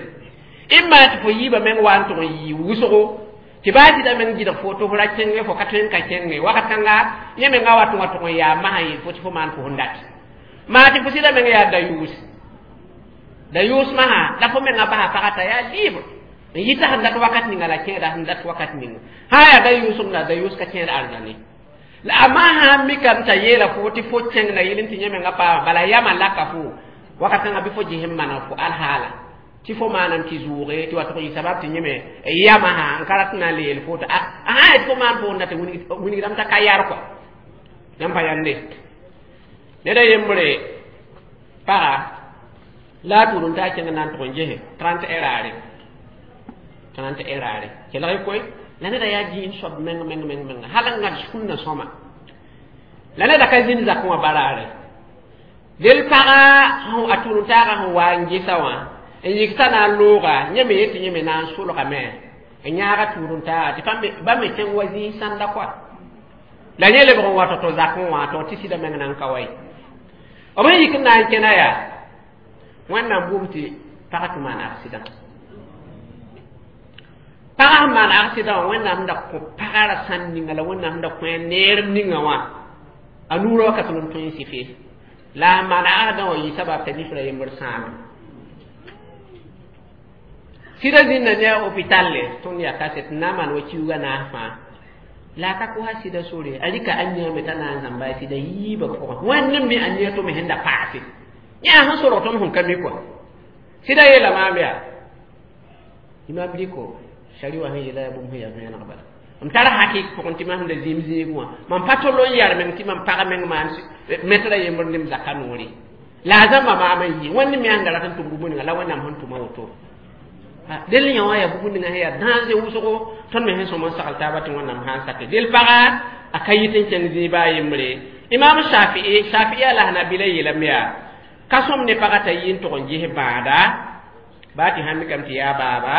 imma tɩ fo yiibã meng wa n tʋg n yɩ wʋsgo tɩ baa sɩda meng gɩdg fo tɩ fo ra kẽnge fo ka tõe n ka kẽnge wakat kãnga yẽ menga wa tʋg wa tʋg n yaa masã yeel fo tɩ fo maan fo sẽn dat maa tɩ fo sɩda meng yaa da-yʋʋs da-yʋʋs masã la fo menga basa pagã t'a yaa libre n yita sẽn dat wakat ninga la kẽeda sẽn dat wakat ninga sã yaa da-yʋʋsem la da-yʋʋs ka kẽed arzãne la a maa sã n mikame t'a yeela fo tɩ fo kẽng na yɩl n tɩ yẽ menga paama bala yamã laka fo wakat kãngã bɩ fo ges n maneg fo alhaala tɩ fo maanam tɩ zʋʋge tɩ wa tʋg yɩ sabab tɩ yẽme yamã sã n ka rat n na n le yel fo tɩ a sã yet fo maan fo n dat wilgdame t'a ka yar kɔa yãmb pa yãnde ned a yembre paga la a tʋʋr n taa kẽng na n tʋg n gese trente raare trente raare kelg koe la neda yaa dĩin soab meng meng meng meng hal n ŋad sũnna sõma la neda ka zĩnd zakẽ wã baraare del paga a tʋʋr n taagã sẽn wa n gesa wã n yikta na n looga yẽ me yetɩ yẽ me na n solgame n yãaga tʋʋr n taaga tɩ ba me kẽng wa zĩig sãnda koa la yẽ lebg n wa tɔ-tɔ zakẽ wã tɩ tɩ sɩda meng na n ka wa ye b sẽn yik n na n kẽna yaa wẽnnaam bʋʋm tɩ pagã tɩ maan accident pagã sẽn maan accident wã wẽnnaam da kõ pagã ra sãn ninga la wẽnnaam da kõ a neerem ninga wã a nuurã wakat n tõe n sɩfe la a maan accident wã yɩ sabab t'a nifra yembr sãame sɩda zĩnda ne a hôpital le tõnd yaa kaset n na n maan wa kiuugã naas fãa la a ka kosa sɩda sore a rɩka a nia me t'a na n zãmba a sɩda yiibã pʋgẽ wẽnd n me a nia tʋ me sẽn da paase yã sẽn sorg tõnd sẽn ka mi kɔa sɩda yeela maam yaa imam riko shari wã sẽn yeela yaa bũmb sẽn yaa vẽeneg bala m tar hakɩk pʋgẽ tɩ mam da zĩim zĩig wã mam pa tol n yar meng tɩ mam pag meng maan metra yembr ne m zaka noore la a zãmba maam n yɩ wẽnd me sẽn da rat n tʋm bũmb ninga la wẽnnaam sẽn tʋma woto del yã wã yaa bũmb ninga sẽn yaa dãnse wʋsgo tõnd me sẽn sõm n sagl taaba tɩ wẽnnaam sã n sake del paga a ka yɩt n kẽng zĩig baa yembre imam shafii shafii a la hanabila yeelame yaa ka sõm ne pagã t'a yɩ n tʋg n ges bãada baa tɩ sãn mikame tɩ yaa baaba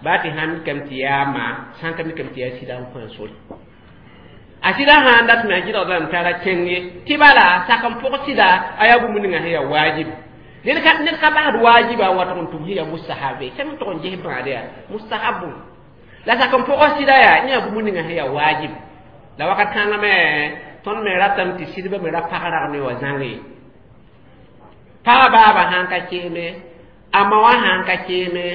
baa tɩ sãn mikame tɩ yaa ma sãn ka mikame tɩ yaa sɩda n kõ a sore a sɩda sã n dat me a gɩdgdame tara kẽng ye tɩ bala sak n pʋg sɩda a yaa bũmb ninga sẽn yaa waajib ned ka ned ka basd waajiba n wa tʋg n tʋm sẽn yaa mustahabe sẽn tʋg n ges bãada yaa mustahabu la sak n pʋg sɩda yaa yẽ yaa bũmb ninga sẽn yaa waajib la wakat kãngã me tõnd me ratame tɩ sɩdbã me ra pag rag ne wa zãng ye pagã baabã sãn ka keeme a ma wã sãn ka keeme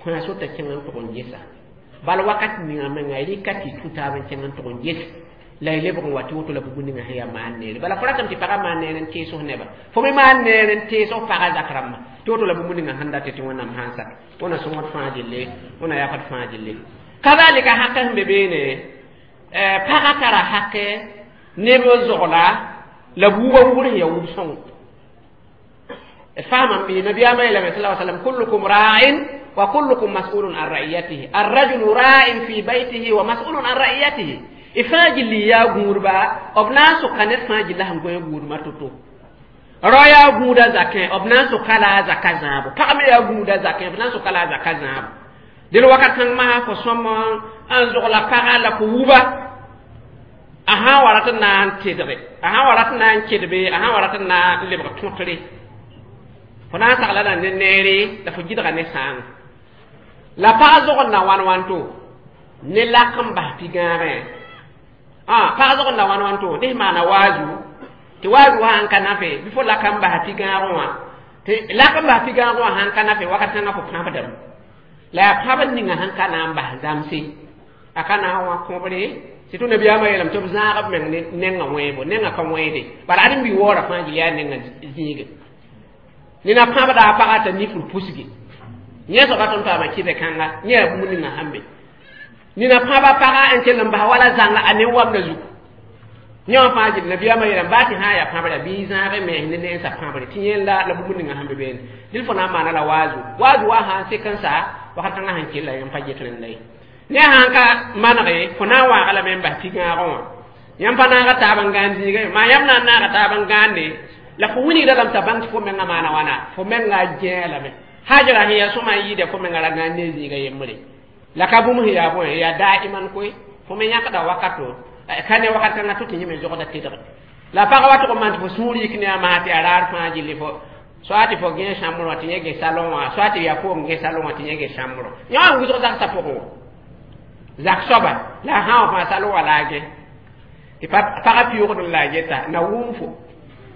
kõ a sota kẽng n tʋg n gesa bal wakat ninga menga rɩka tɩ tũ taab n kẽng n tʋg n ges la y lebg n wa tɩ woto la bũmb ninga sẽn yaa maan neere bala fo ratame tɩ pagã maan neer n tees neba fo me maan neer n tees f pagã zak rãmba tɩ woto la bũmb ninga sẽn dat tɩ wẽnnaam sãn sak wẽna sõngd fãa gille wẽna yafd fãa gille kazalika hakɛ sẽn be beene pagã tara hakɛ neb zogla la buugã wubr sẽn yaa wub sõng فهم النبي صلى الله عليه وسلم كلكم راع وكلكم مسؤول عن رعيته الرجل راع في بيته ومسؤول عن رعيته ifaaji li yaa gũudba b na n sʋka ned fãa gilla sẽn gõe gũudmã to-to rao yaa gũuda zakẽ b na n sʋka la a zaka zãabo pag me yaa gũuda zakẽ b na n sʋka la a zaka zãabo del wakat kãng masã fo sõm n zogla paga la fo wuba a sã n wa rat n na n tedge a sã n wa rat n na n kedbe a sã n wa rat n na n lebg tõtre fo na n sagla la ne neere la fo gɩdga ne sãang la pag zogd na wãn wãnto ne lak n bas pi-gãagẽ pag zogd na wãn wãnto dɩs maana waazu tɩ waazu wã sãn ka nafe bɩ fo lak n bas pi-gãagẽ wã tɩ lak n bas pi-gãagẽ wã sãn ka nafe wakat kãngã fo pãbdame la yaa pãbd ninga sẽn ka na n bas zãmse a ka na n wã kõbre Tɩ tɩ nabiyaamã yeelame tɩ b zãag b meng ne nengã wẽebo nengã ka wẽede bala ad n bi waoora fãa gil yaa nengã zĩige nina pãbda a pagã t'a nifr pusgi yẽ soaba tõnd paama kɩbɛ kãnga yẽ yaa bũmb ninga sãn be nina pãba pagã n kell n bas wala zãnga a ne wamda zugu yẽ wã fãa gil nabiyaamã yeelame baa tɩ sã n yaa pãbra bɩ zãag mens ne nensã pãbre tɩ yẽ la la bũmb ninga sãn be beene dɩl fo na n maana la waazu waazu wa sã n sek n sa wakat kãngã sẽn kella yẽm pa get rẽnda ye ne sãn ka manege fo na n waaga lame n bas pigãagẽ wã yãmb pa naaga taab n gãan zĩiga ye maa yãmb na n naaga taab n gãande la fo wilgda lame t'a bãng tɩ fo menga maana wãna fo menga gẽe lame hajara sẽn yaa sõma n yɩɩda fo menga ra gãan ne zĩiga yembre la ka bũmb sẽn yaa bõe yaa daiman koe fo me yãkda wakato ka ne wakat kãngã to tɩ yẽ me zogda tedge la pag wa tʋg n maan tɩ fo sũur yik ne a maa tɩ a raar fãa gilli fo soit tɩ fo gẽ chambre wã tɩ yẽ gẽ salon wã soit tɩ yaa foom gẽ salon wã tɩ yẽ gẽ chambre yẽ wã n wʋsg zagsã pʋgẽ wã zak soaba la a sã wã fãa salon wã la a gẽ tɩ pagã pɩʋgd n la a geta na wʋm fo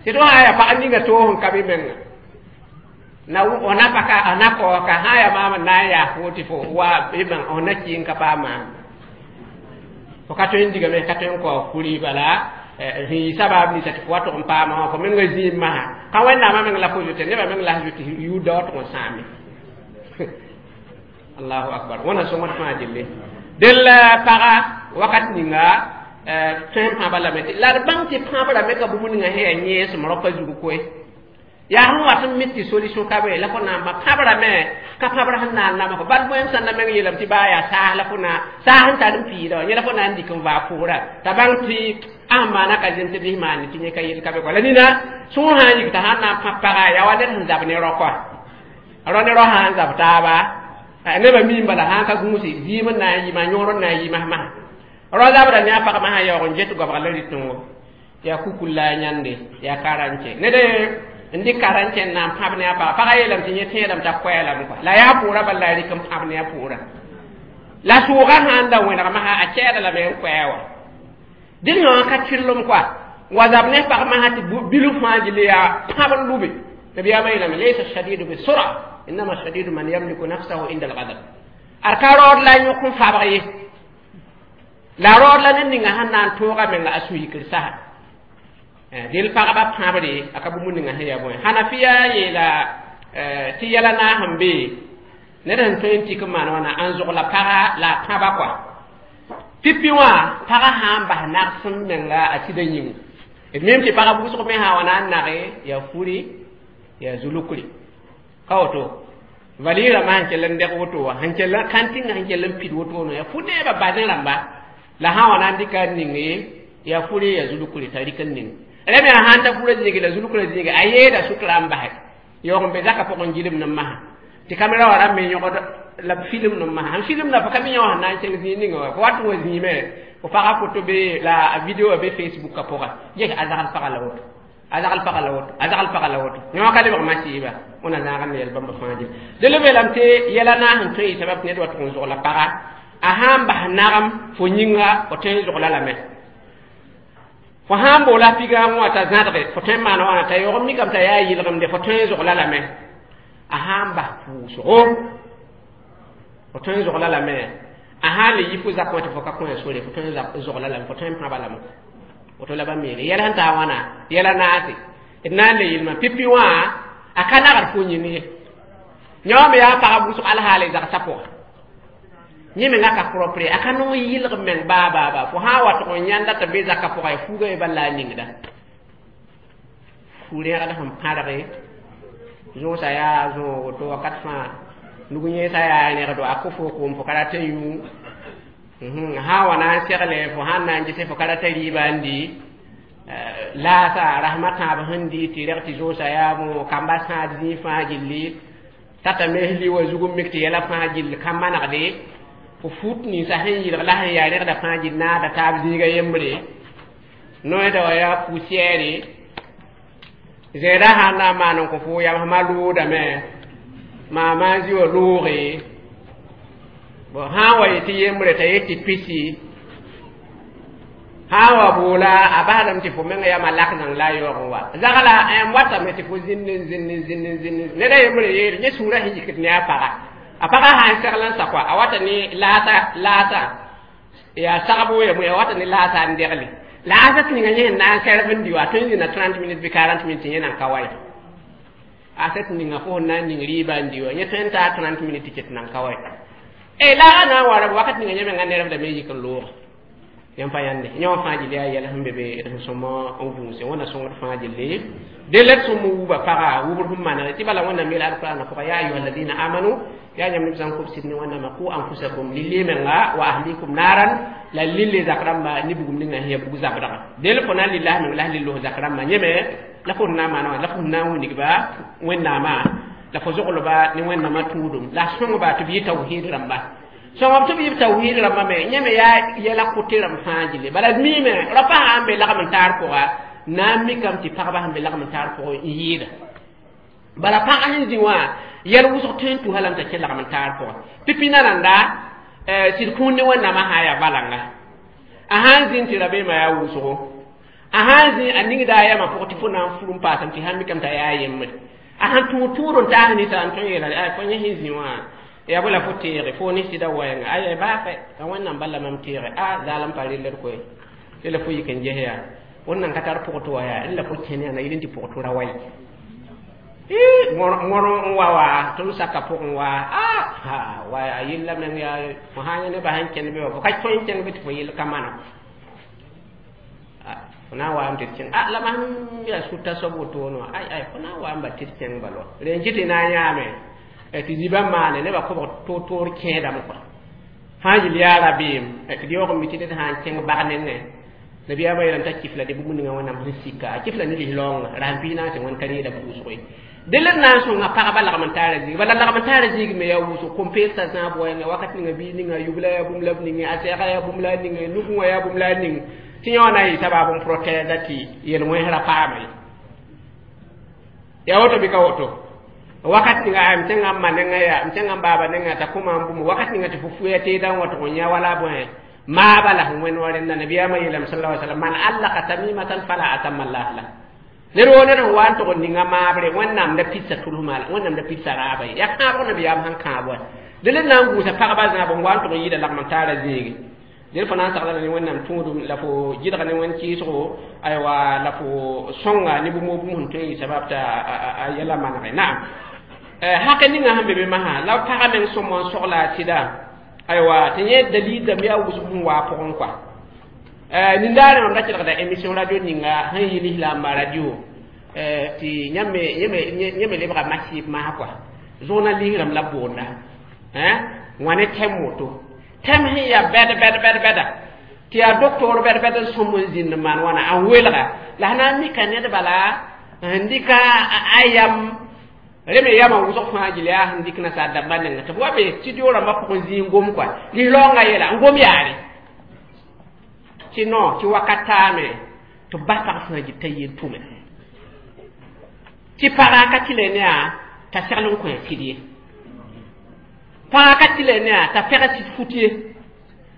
tɩ tɩ sã yaa pag ninga toog n ka bɩ menga na f na paka f na kaooka sã n yaa maam n na n yaa fo tɩ fo wa b bãng f na kɩ n ka paam maam fo ka tõe n digame ka tõe n kaoog kuri bala sẽn yɩ sabaab ninsa tɩ fo wa tʋg n paama wã fo menga zĩim masã ka wẽnnaamã meng la fo zote nebã meng la s zote yʋʋda wa tʋg n sãame allahu akbar wãna sõngd fãa gelle del paga wakat ninga tõe n pãba lame la d bãng tɩ pãbrame ka bũmb ninga sẽn yaa yẽesem raopa zug koe yaa sẽn wat n mit tɩ solution ka be la fo na n ba pãbrame ka pãbr sẽn na n namg bal bõe sãn na meng yeelame tɩ baa yaa saas la fo na saas n tar n piida wã yẽ la fo na n dɩk n vaa pʋʋra t'a bãng tɩ a sẽn maana ka zem tɩ bɩs maane tɩ yẽ ka yel ka be kɔa la nina sõor sã n yik t'a sãn na n pãb paga yaa wa ned sẽn zab ne rao kɔa rao ne rao sã n zab taaba nebã miim bala sã n ka gũusi zɩɩm n na n yɩɩma yõor n na n yɩ masmasã rao zabda ne a pag masã yaoog n get goabg la rɩtẽngo yaa kukul la a yãnde yaa karãnke ned n dɩk karãnke n na n pãb ne a paga pagã yeelame tɩ yẽ tẽedame t'a koɛɛlame kɔa la yaa pʋʋra bala la a rɩk n pãb ne a pʋʋra la sʋʋgã sã n da wẽneg masã a kɛɛda lame n koɛɛ wã dɩl yõ ka tɩrlem kɔa wa zab ne pag masã tɩ bilf fãa gilli yaa pãb n lube nabiyaamã yeelame laysa shadidu bisura innama shadidu man yamliku nafsahu inda algadab ad ka raood la yõk n fabg ye la raood la ned ninga sẽn na n tooga menga a sũ-yikr sasa dɩl pagba pãbre a ka bũmb ninga sẽn yaa bõe hanafiya yeela tɩ yɛla naas n be ned sẽn tõe n tik n maan wãna n zogla paga la a pãba kɔa pipi wã paga sã n bas nagsem menga a sɩda yĩnga d mim tɩ paga wʋsg me sã wa na n nage yaa furi yaa zulukri ka woto valɩɩrã sẽn kell n deg woto wã sẽn kell kãntĩngã sẽn kell n pid woto no yaa fu neebã bazẽ rãmba la sã wa na n dɩka n ninge yaa furi yaa zulukri t'a rɩk n ning rẽ me sã n ta furã zĩige la zulukrã zĩige a yeeda sʋtra n basɛ yaoog n be zakã pʋgẽ gilem ne masã tɩ kamera wã rãmb me yõgd la b film ne masã sẽn film la fo ka mi yã wã sẽn na n kẽng zĩig ninga wã fo wat n wa zĩime fo paga foto be la a video be facebook a pʋga ges a zagl paga la woto a zagl paga la woto a zagl paga la woto yã wã ka lebg masiiba wẽna zãag n yɛl bãmba fãa gil dẽl b yeelame tɩ yɛla naas n tõe yɩ sabab tɩ ned wa tʋg n zogla paga a sã n bas nagem fo yĩnga fo tõe n zogla lame fo sã n boola pigãag wã t'a zãdge fo tõe n maana wãna t'a yaoog n mikame t'a yaa yɩlgemde fo tõe n zogla lame a sã n bas pʋʋsgo fo tõe n zogla lame a sã n le yi fo zakẽ wã tɩ fo ka kõ sore fo tõe n zogla lame fo tõe n pãba lame woto la ba meele yɛl sẽn taa wãna yɛla naase d na n le yelmã pipi wã a ka nagd fo yĩng ye yã wã me yaa pagb wʋsg alhaale zagsã pʋga yẽ menga ka propre a ka nong yɩlg meng baa baa baa fo sã n wa tʋg n yãnda tɩ be zakã pʋga ya fuugã ye bal la a ningda fu-rẽgd sẽn pãrge zõosa yaa zõog woto wakat fãa nug yẽesã yaa rẽgdo a kõ fo koom fo ka rat n yũ sã n wa na n segle fo sãn na n gese fo ka rata rɩɩba n di laasa rasmã tãab sẽn di tɩ reg tɩ zõosa yaa bõ kamba sãad zĩig fãa gilli tata mes li wa zug n mik tɩ yɛla fãa gill ka manegde fo fut ninsã sẽn yɩlg la sẽn yaa rẽgda fãa gill naada taab zĩiga yembre noeda wa yaa poussière zẽeda sãn na n maan n kõ fo yamsmã loodame maama n zĩ wa looge bon sã n wa yetɩ yembre t'a yet tɩ pisi sã n wa boola a basdame tɩ fo menga yama lak zãng la a yaoog n wa zagla n watame tɩ fo zĩnd n zĩnd n zĩnd n zĩnd neda yembre yeere yẽ sũurã sẽn yikd ne a paga a paga sã n segl n sa kɔa a wata ne laasa laasa Ya sagbo ya mo ya wata ni la sa ndegli la asat ninga yẽ na n sɛrb n di wa tõe n zĩna trente minutes bɩ quarante minutes yẽ nan ka wa ye asat ninga fo na n ning rɩɩba n di wa yẽ tõe n taa trente minutes tɩ ket nan ka wa ye e la a na n wa rab wakat ninga yẽ menga nerb lame yik n loog yãmb pa yãnde yẽ wã fãa gilli yaa yɛl sẽn be be d sẽn sõm n vũuse wẽnna sõngd fãa gilli de la d sõm n wuba paga wubr sẽn maneg tɩ bala wẽnnaam yeela alqur'ana pʋga ya ayuha alladina amanu ya yãmb neb sã n kobsd ne wẽnnaamã qu anfusakum lilli menga wa ahlikum naran la lille zak rãmba ne bugum ninga sẽn ya bug zabdga del fo na n lilla meng la s lill zak rãmbã yẽme la fo na n maana wã la fo na n wilgba wẽnnaamã la fo zoglba ne wẽnnaamã tũudum la sõngba tɩ b yɩ tawhiid rãmba sõngb tɩ b yɩ tawhiid rãmbã me yẽ me yaa yɛla kʋtɩ rãmb fãa gilli bala d miime rapa sã n be lagm n taar pʋga na n mikame tɩ pagba sẽn be lagm n taar pʋgẽ n yɩɩda bala pagã sẽn zĩ wã yɛl wʋsg tõe n tusa lame t'a kẽ lagm n taar pʋgã pipi nananda sɩd kũun ne wẽnnaamã sã n yaa balanga a sã n zĩnd tɩ rabeemã yaa wʋsgo a sã n zĩ a ningda a yamã pʋgẽ tɩ fo na n fur n paasame tɩ sã n mikame t'a yaa yembre a sãn tũud tũud n taas ninsã n tõe n yeela fo yẽ sẽn zĩ wã ya bõe la fo teege fo ne sɩda waɛnga aya baafɛ a wẽnnaam bala mam teege a zaalem pa relled koe tɩ la fo yik n ges yaa wẽnnaam ka tar pʋgtɩ wa yaa rẽ la fo kẽne yaa na yɩl n tɩ pʋgtʋ ra wa ye ŋõr n wa wa tɩ m saka pʋgẽ wa a wa a yella meng yaa fo sã n yã nebã sẽn kẽnd be wa fo ka tõe n kẽng be tɩ fo yell ka mana fo na n waame tɩ d kẽng a la mam yaa sʋta soab wotone wã ay ay fo na n waame ba tɩ d kẽng bala wa rẽ n kɩ tɩ na n yãame tɩ zibã maane nebã kobg toor-toor kẽedame kɔa fãa yel yaa rabeem tɩ d yaoog n mi tɩ ned sã n kẽng bag nengẽ nabiyaamã yeelame t'a kifla dɩ bũmb ninga wẽnnaam sẽn sika a kifla ne lislaoongã rasem piis naas tɩ wẽn ka reeda pʋʋsgo ye dẽ la d na n sõnga pagba lagm n taara zĩig bala lagm n taara zĩig me yaa wʋsg kom-peelsa zãab wɛɛngã wakat ninga biis ninga yubla yaa bũmb la b ninge a sɛɛga yaa bũmb la a ninge nugẽ wã yaa bũmb la a ning tɩ yẽ wã na n yɩ sabaab n protɛɛda tɩ yel-wẽnsrã paama ye yaa woto bɩ ka woto wakat ninga m tẽngã n ma nengã yaa m tẽngã n baaba nengã t'a kʋma n bũmb wakat ninga tɩ fo fuya teedã n wa tʋg n yã wala bõe maaba la sẽn wẽnd wa rẽnda nabiyaamã yeelame sallallahu alaihi wasallam man allaka tamimatan fala atamma allah la ned woo ned sẽn wa n tʋg n ninga maabre wẽnnaam da pidsa tʋlsma la wẽnnaam da pidsa raaba ye yaa kãabg nabiyaam sẽn kãab wa dẽ la na n gũusa pagba zãab n wa n tʋg n yɩɩda lagm n taara zĩigi del fo na n sagla ne wẽnnaam tũudum la fo gɩdg ne wẽn kɩɩsgo aywa la fo sõnga ne bũmb bũmb sẽn tõe n yɩ sabab t'a a yɛla manege naam hake ninga sẽn be be masã la pagã meng sõm n sogla a tɩda aywa tɩ yẽ dalil dãmb yaa wʋsg sẽn waa pʋgẽ kɔa nindaare mam da kelgda émission radio ninga sẽn yɩ lislaamba radio tɩ yãmb yẽ me lebga masɩb masã kɔa journaliste rãmb la boonda wã ne tɛm woto tɛm sẽn yaa bɛd bɛd bɛd bɛda tɩ yaa doctor bɛd bɛd n sõm n zĩnd n maan wãna n welga la sã na n mika ned bala n dɩka a yam rẽ me yamã wʋsg fãa gil yaa sẽn dɩk nasaar dãmbã nengẽ tɩ b wa be studio rãmbã pʋgẽ zĩ n gom kɔa lislaoongã yeela n gom yaare tɩ non tɩ wakat taame tɩ b bas pag fãa gil t'a yel tʋme tɩ paga ka tɩ le ne yaa t'a segl n kõ sɩd ye pãga ka tɩ le ne yaa t'a pɛg sɩd fut ye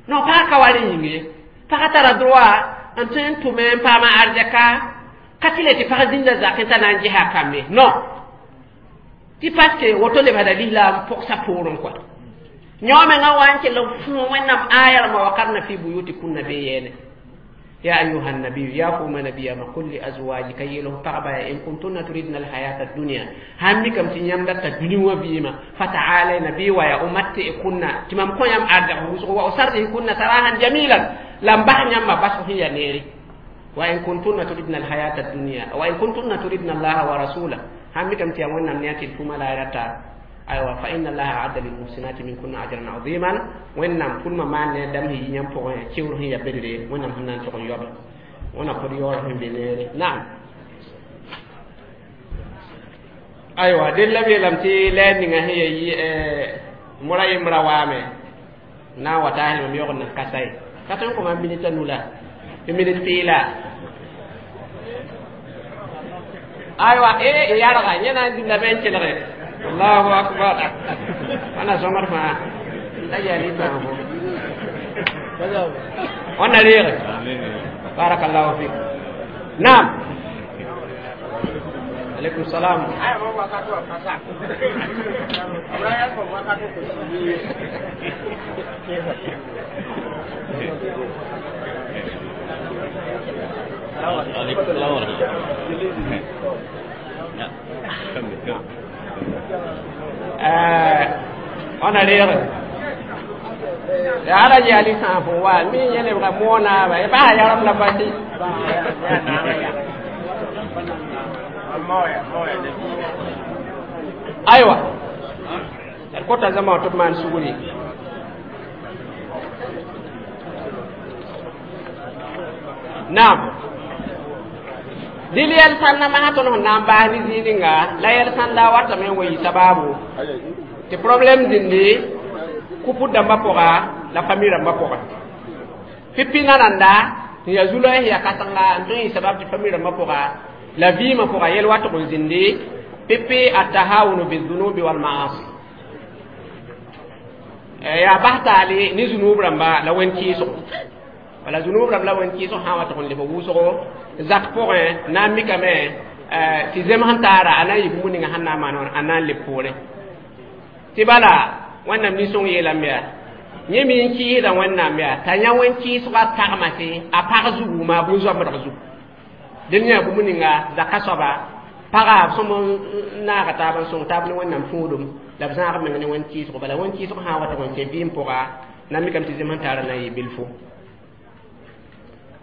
non pagã ka wa rẽ yĩng ye pagã tara droit n tõe n tʋme n paama arzɛka ka tɩ le tɩ pag zĩnda zakẽ t'a na n gesa a kambe non tɩ parce que woto lebsda lislaam pʋgsa poorẽ kɔa yõ mengã wa n kell n fũ wẽnnaam aya rãmbã wakarna fi buyutikunna be yɛɛne يا أيها النبي يا قوم نبي ما قل لأزواجك يلو پغبا إن كنتن تريدن الحياة الدنيا همي كم تنيم دتا الدنيا بيما فتعالي نبي ويا أمتئكن تمام كون يم أرجع وأسرحكن سراحا جميلا لم بحن يم بس هي نيري وإن كنتن تريدن الحياة الدنيا وإن كنتن تريدن الله ورسوله همي كم تيامون نمنياتي الفما لا يرتا أيوة فإن الله أعد للمحسنات منكن أجرا عظيما وإنم كل ما مان دم هي يم فوق كيور هي بدري وإنم هنان فوق يوب وأنا قد يور هم بنيري نعم أيوة دل لبي لم تي لا نيغا هي مرا يمرا وامي نا وتاهل مم يغن كاساي كاتون كوما مينيتا نولا مينيت بيلا أيوة إيه يا رغا ينا دي لبين كلغي الله أكبر أنا سمر ما لا يلي ما وأنا ليغ بارك الله فيك نعم Alaikum salam. Alaikum salam. Eh, on a lire. Ya ala ji ali san fo wa mi yele ba mona ba ba ya ram la bati. Aywa. Er kota zama to man suguri. Naam. Dil yɛl sãn na masã tõnd sẽn na n baas ne zĩig ninga la yɛl sãn da watame n wa yɩ sababu tɩ problème zĩndi kuput dãmbã pʋga la fami rãmbã pʋgẽ pipi nananda n yaa zulã sẽn yaa kãsenga n tõe n yɩ sabab tɩ fami rãmbã pʋga la vɩɩmã pʋga yɛl watg n zĩndi pipi atahawunu bizunubi walmaasi yaa bas taale ne zunub rãmba la wẽn-kɩɩsgo wala zunub rãmb la wẽn-kɩɩsg sã n wa tɩg n leb wʋsgo zak pʋgẽ na n mikame tɩ zem sẽn taara a na n yɩ bũmb ninga sẽn na n maan wã a na n leb poorẽ tɩ bala wẽnnaam nin-sõng yeelame yaa yẽ me n kɩɩsda wẽnnaam yaa t'a yã wẽn-kɩɩsgã tagmase a pag zugu maa bũn-zoamdg zugu dẽnd yã bũmb ninga zaka soaba paga b sõm n naaga taab n sõng taab ne wẽnnaam fũudum la b zãag meng ne wẽn-kɩɩsgo bala wẽn-kɩɩsg sã n wa tɩg n kẽ vɩɩm pʋga na n mikame tɩ zem sẽn taara na n yɩ bilfo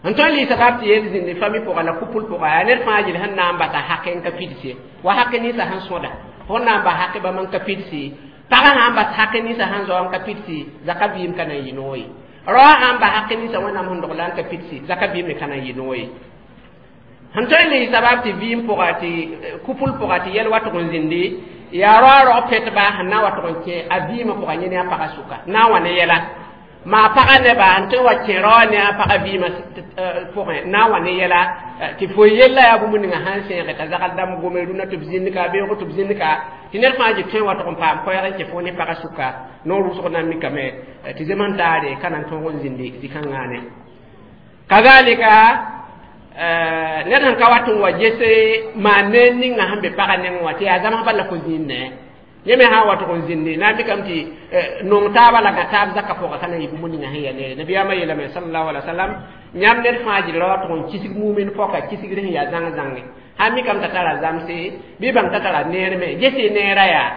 n tõe n lɩɩsa bab tɩ yel zĩndi fami pʋga la kupl pʋga yaa ned fãa yel sẽn na n basa hake n ka pidse wa hake ninsã sẽn sõda fo na n bas hake bãmb n ka pidse pagã sã n bas hake ninsã sẽn zao n ka pidse zaka vɩɩm ka na n yɩ noog ye raoã sã n bas hake ninsã wẽnnaam sẽn dogla n ka pidse zaka vɩɩm me ka na n yɩ noog ye sẽn tõe n lɩɩsa bab tɩ vɩɩm pʋga tɩ kupl pʋga tɩ yɛl watg n zĩndi yaa raoã rog pɛtba sẽn na n watg n kẽ a vɩɩmã pʋga yẽ ne a pagã sʋka na n wa ne yɛla ma paga neba n tõe wa kẽ raoã ne a pagã vɩɩmã pʋgẽ na n wa ne yɛla tɩ fo yella yaa bũmb ninga sãn sẽege t'a zagl dãmb gome rũnã tɩ b zĩnd ka beoogo tɩ b zĩnd ka tɩ ned fãa jɩ tõe wa tʋg n paam koɛɛg n kẽ fo ne pagã sʋka noor wʋsg na n mikame tɩ zem sẽn taare ka na n tõog n zĩndi zĩ-kãngã kazalika ned sẽn ka wat n wa gese maan neer ninga sẽn be pagã nengẽ wã tɩ yaa zãms bala fo zĩnnẽ yẽ me sã n wa tʋg n zĩndi na n mikame tɩ nong taabã la gã taab zakã pʋga ka na n yɩ bũmb ninga sẽn yaa neere nabiyaamã yeelame sallallahu alaihi wasallam yãmb ned fãa jɩ ra wa tʋg n kisg mumin pɔka kisgr sẽn yaa zãng zãnge sã n mikame t'a tara zamse bɩ bãng t'a tara neer me gese neerã yaa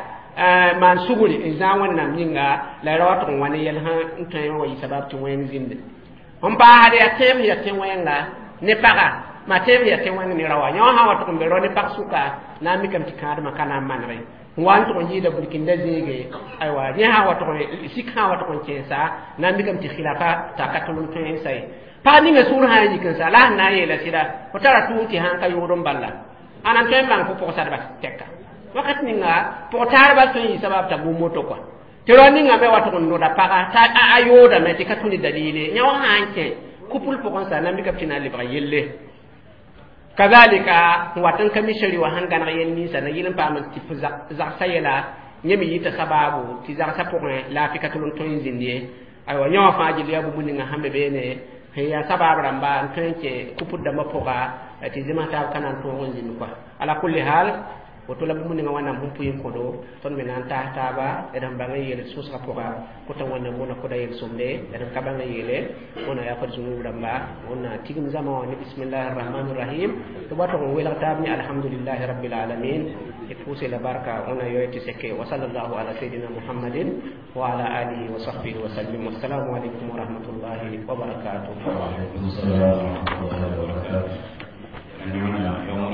maan sugri n zãag wẽnnaam yĩnga la ra wa tʋg n wa ne yɛl sẽn tõe n wa yɩ sabab tɩ wẽng zĩnde n paasd yaa tẽeb sẽn yaa tẽ-wẽnga ne paga ma tẽeb sẽn yaa tẽ-wẽng ne raoã yã wã sã n wa tʋg n be rao ne pag sʋka na n mikame tɩ kãadmã ka na n manege n wa n tʋg n yɩɩda burkinda zĩige aywa yẽ sã n wa tʋg sik sã n wa tʋg n kẽesa na n mikame tɩ khilafa t'a ka tʋl n tõe n sa ye pag ninga sũur sã n yik n sa la sẽn na n yeela sɩda fo tara tʋʋm tɩ sã n ka yʋʋd n balla ãna n tõe n bãng fo pʋgsadba tɛka wakat ninga pʋg-taarbã tõe n yɩ sabab t'a bũmb moto kɔa tɩ rao ninga me wa tʋg n noda paga t'a a yoodame tɩ ka tũ ne dalile yã wã sã n kẽ kupl pʋgẽ sa na n mikame tɩ na n lebg yelle kazalika n wat n ka mi shari wã sẽn gãneg yɛl ninsã na yɩl n paam tɩ f zagsã yɛla yẽ me yɩta sababu tɩ zagsã pʋgẽ laafɩ ka tʋl n tõe n zĩnd ye aywa yã wã fãa gil yaa bũmb ninga sẽn be beene sẽn yaa sabab rãmba n tõe n kẽ kupd dãmbã pʋga tɩ zẽms taab ka na n tõog n zĩnd kɔa ala kulli hal woto la bũmb ninga wẽnnaam sẽn pʋɩ n kõdo tõnd me na n taas taaba d sẽn bãng n yeel sʋsgã pʋga kota wẽnnaam wõna koda yel-sõmde d sẽn ka bãng n yeele wẽnna yaa fad zũnub rãmba wẽnna tigim zãma wã ne bismillahi rrahmani rrahim tɩ b wa tʋg n welg taab ne alhamdulillahi rabbil alamin tɩ pʋʋse la barka wẽnna yoe tɩ seke wa sallallahu ala sayidina muhammadin wa ala alihi wa sahbihi wa sallim wassalamu alaikum wa rahmatullahi wa barakatuh. Wa alaikum salam wa rahmatullahi wa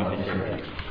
barakatuh.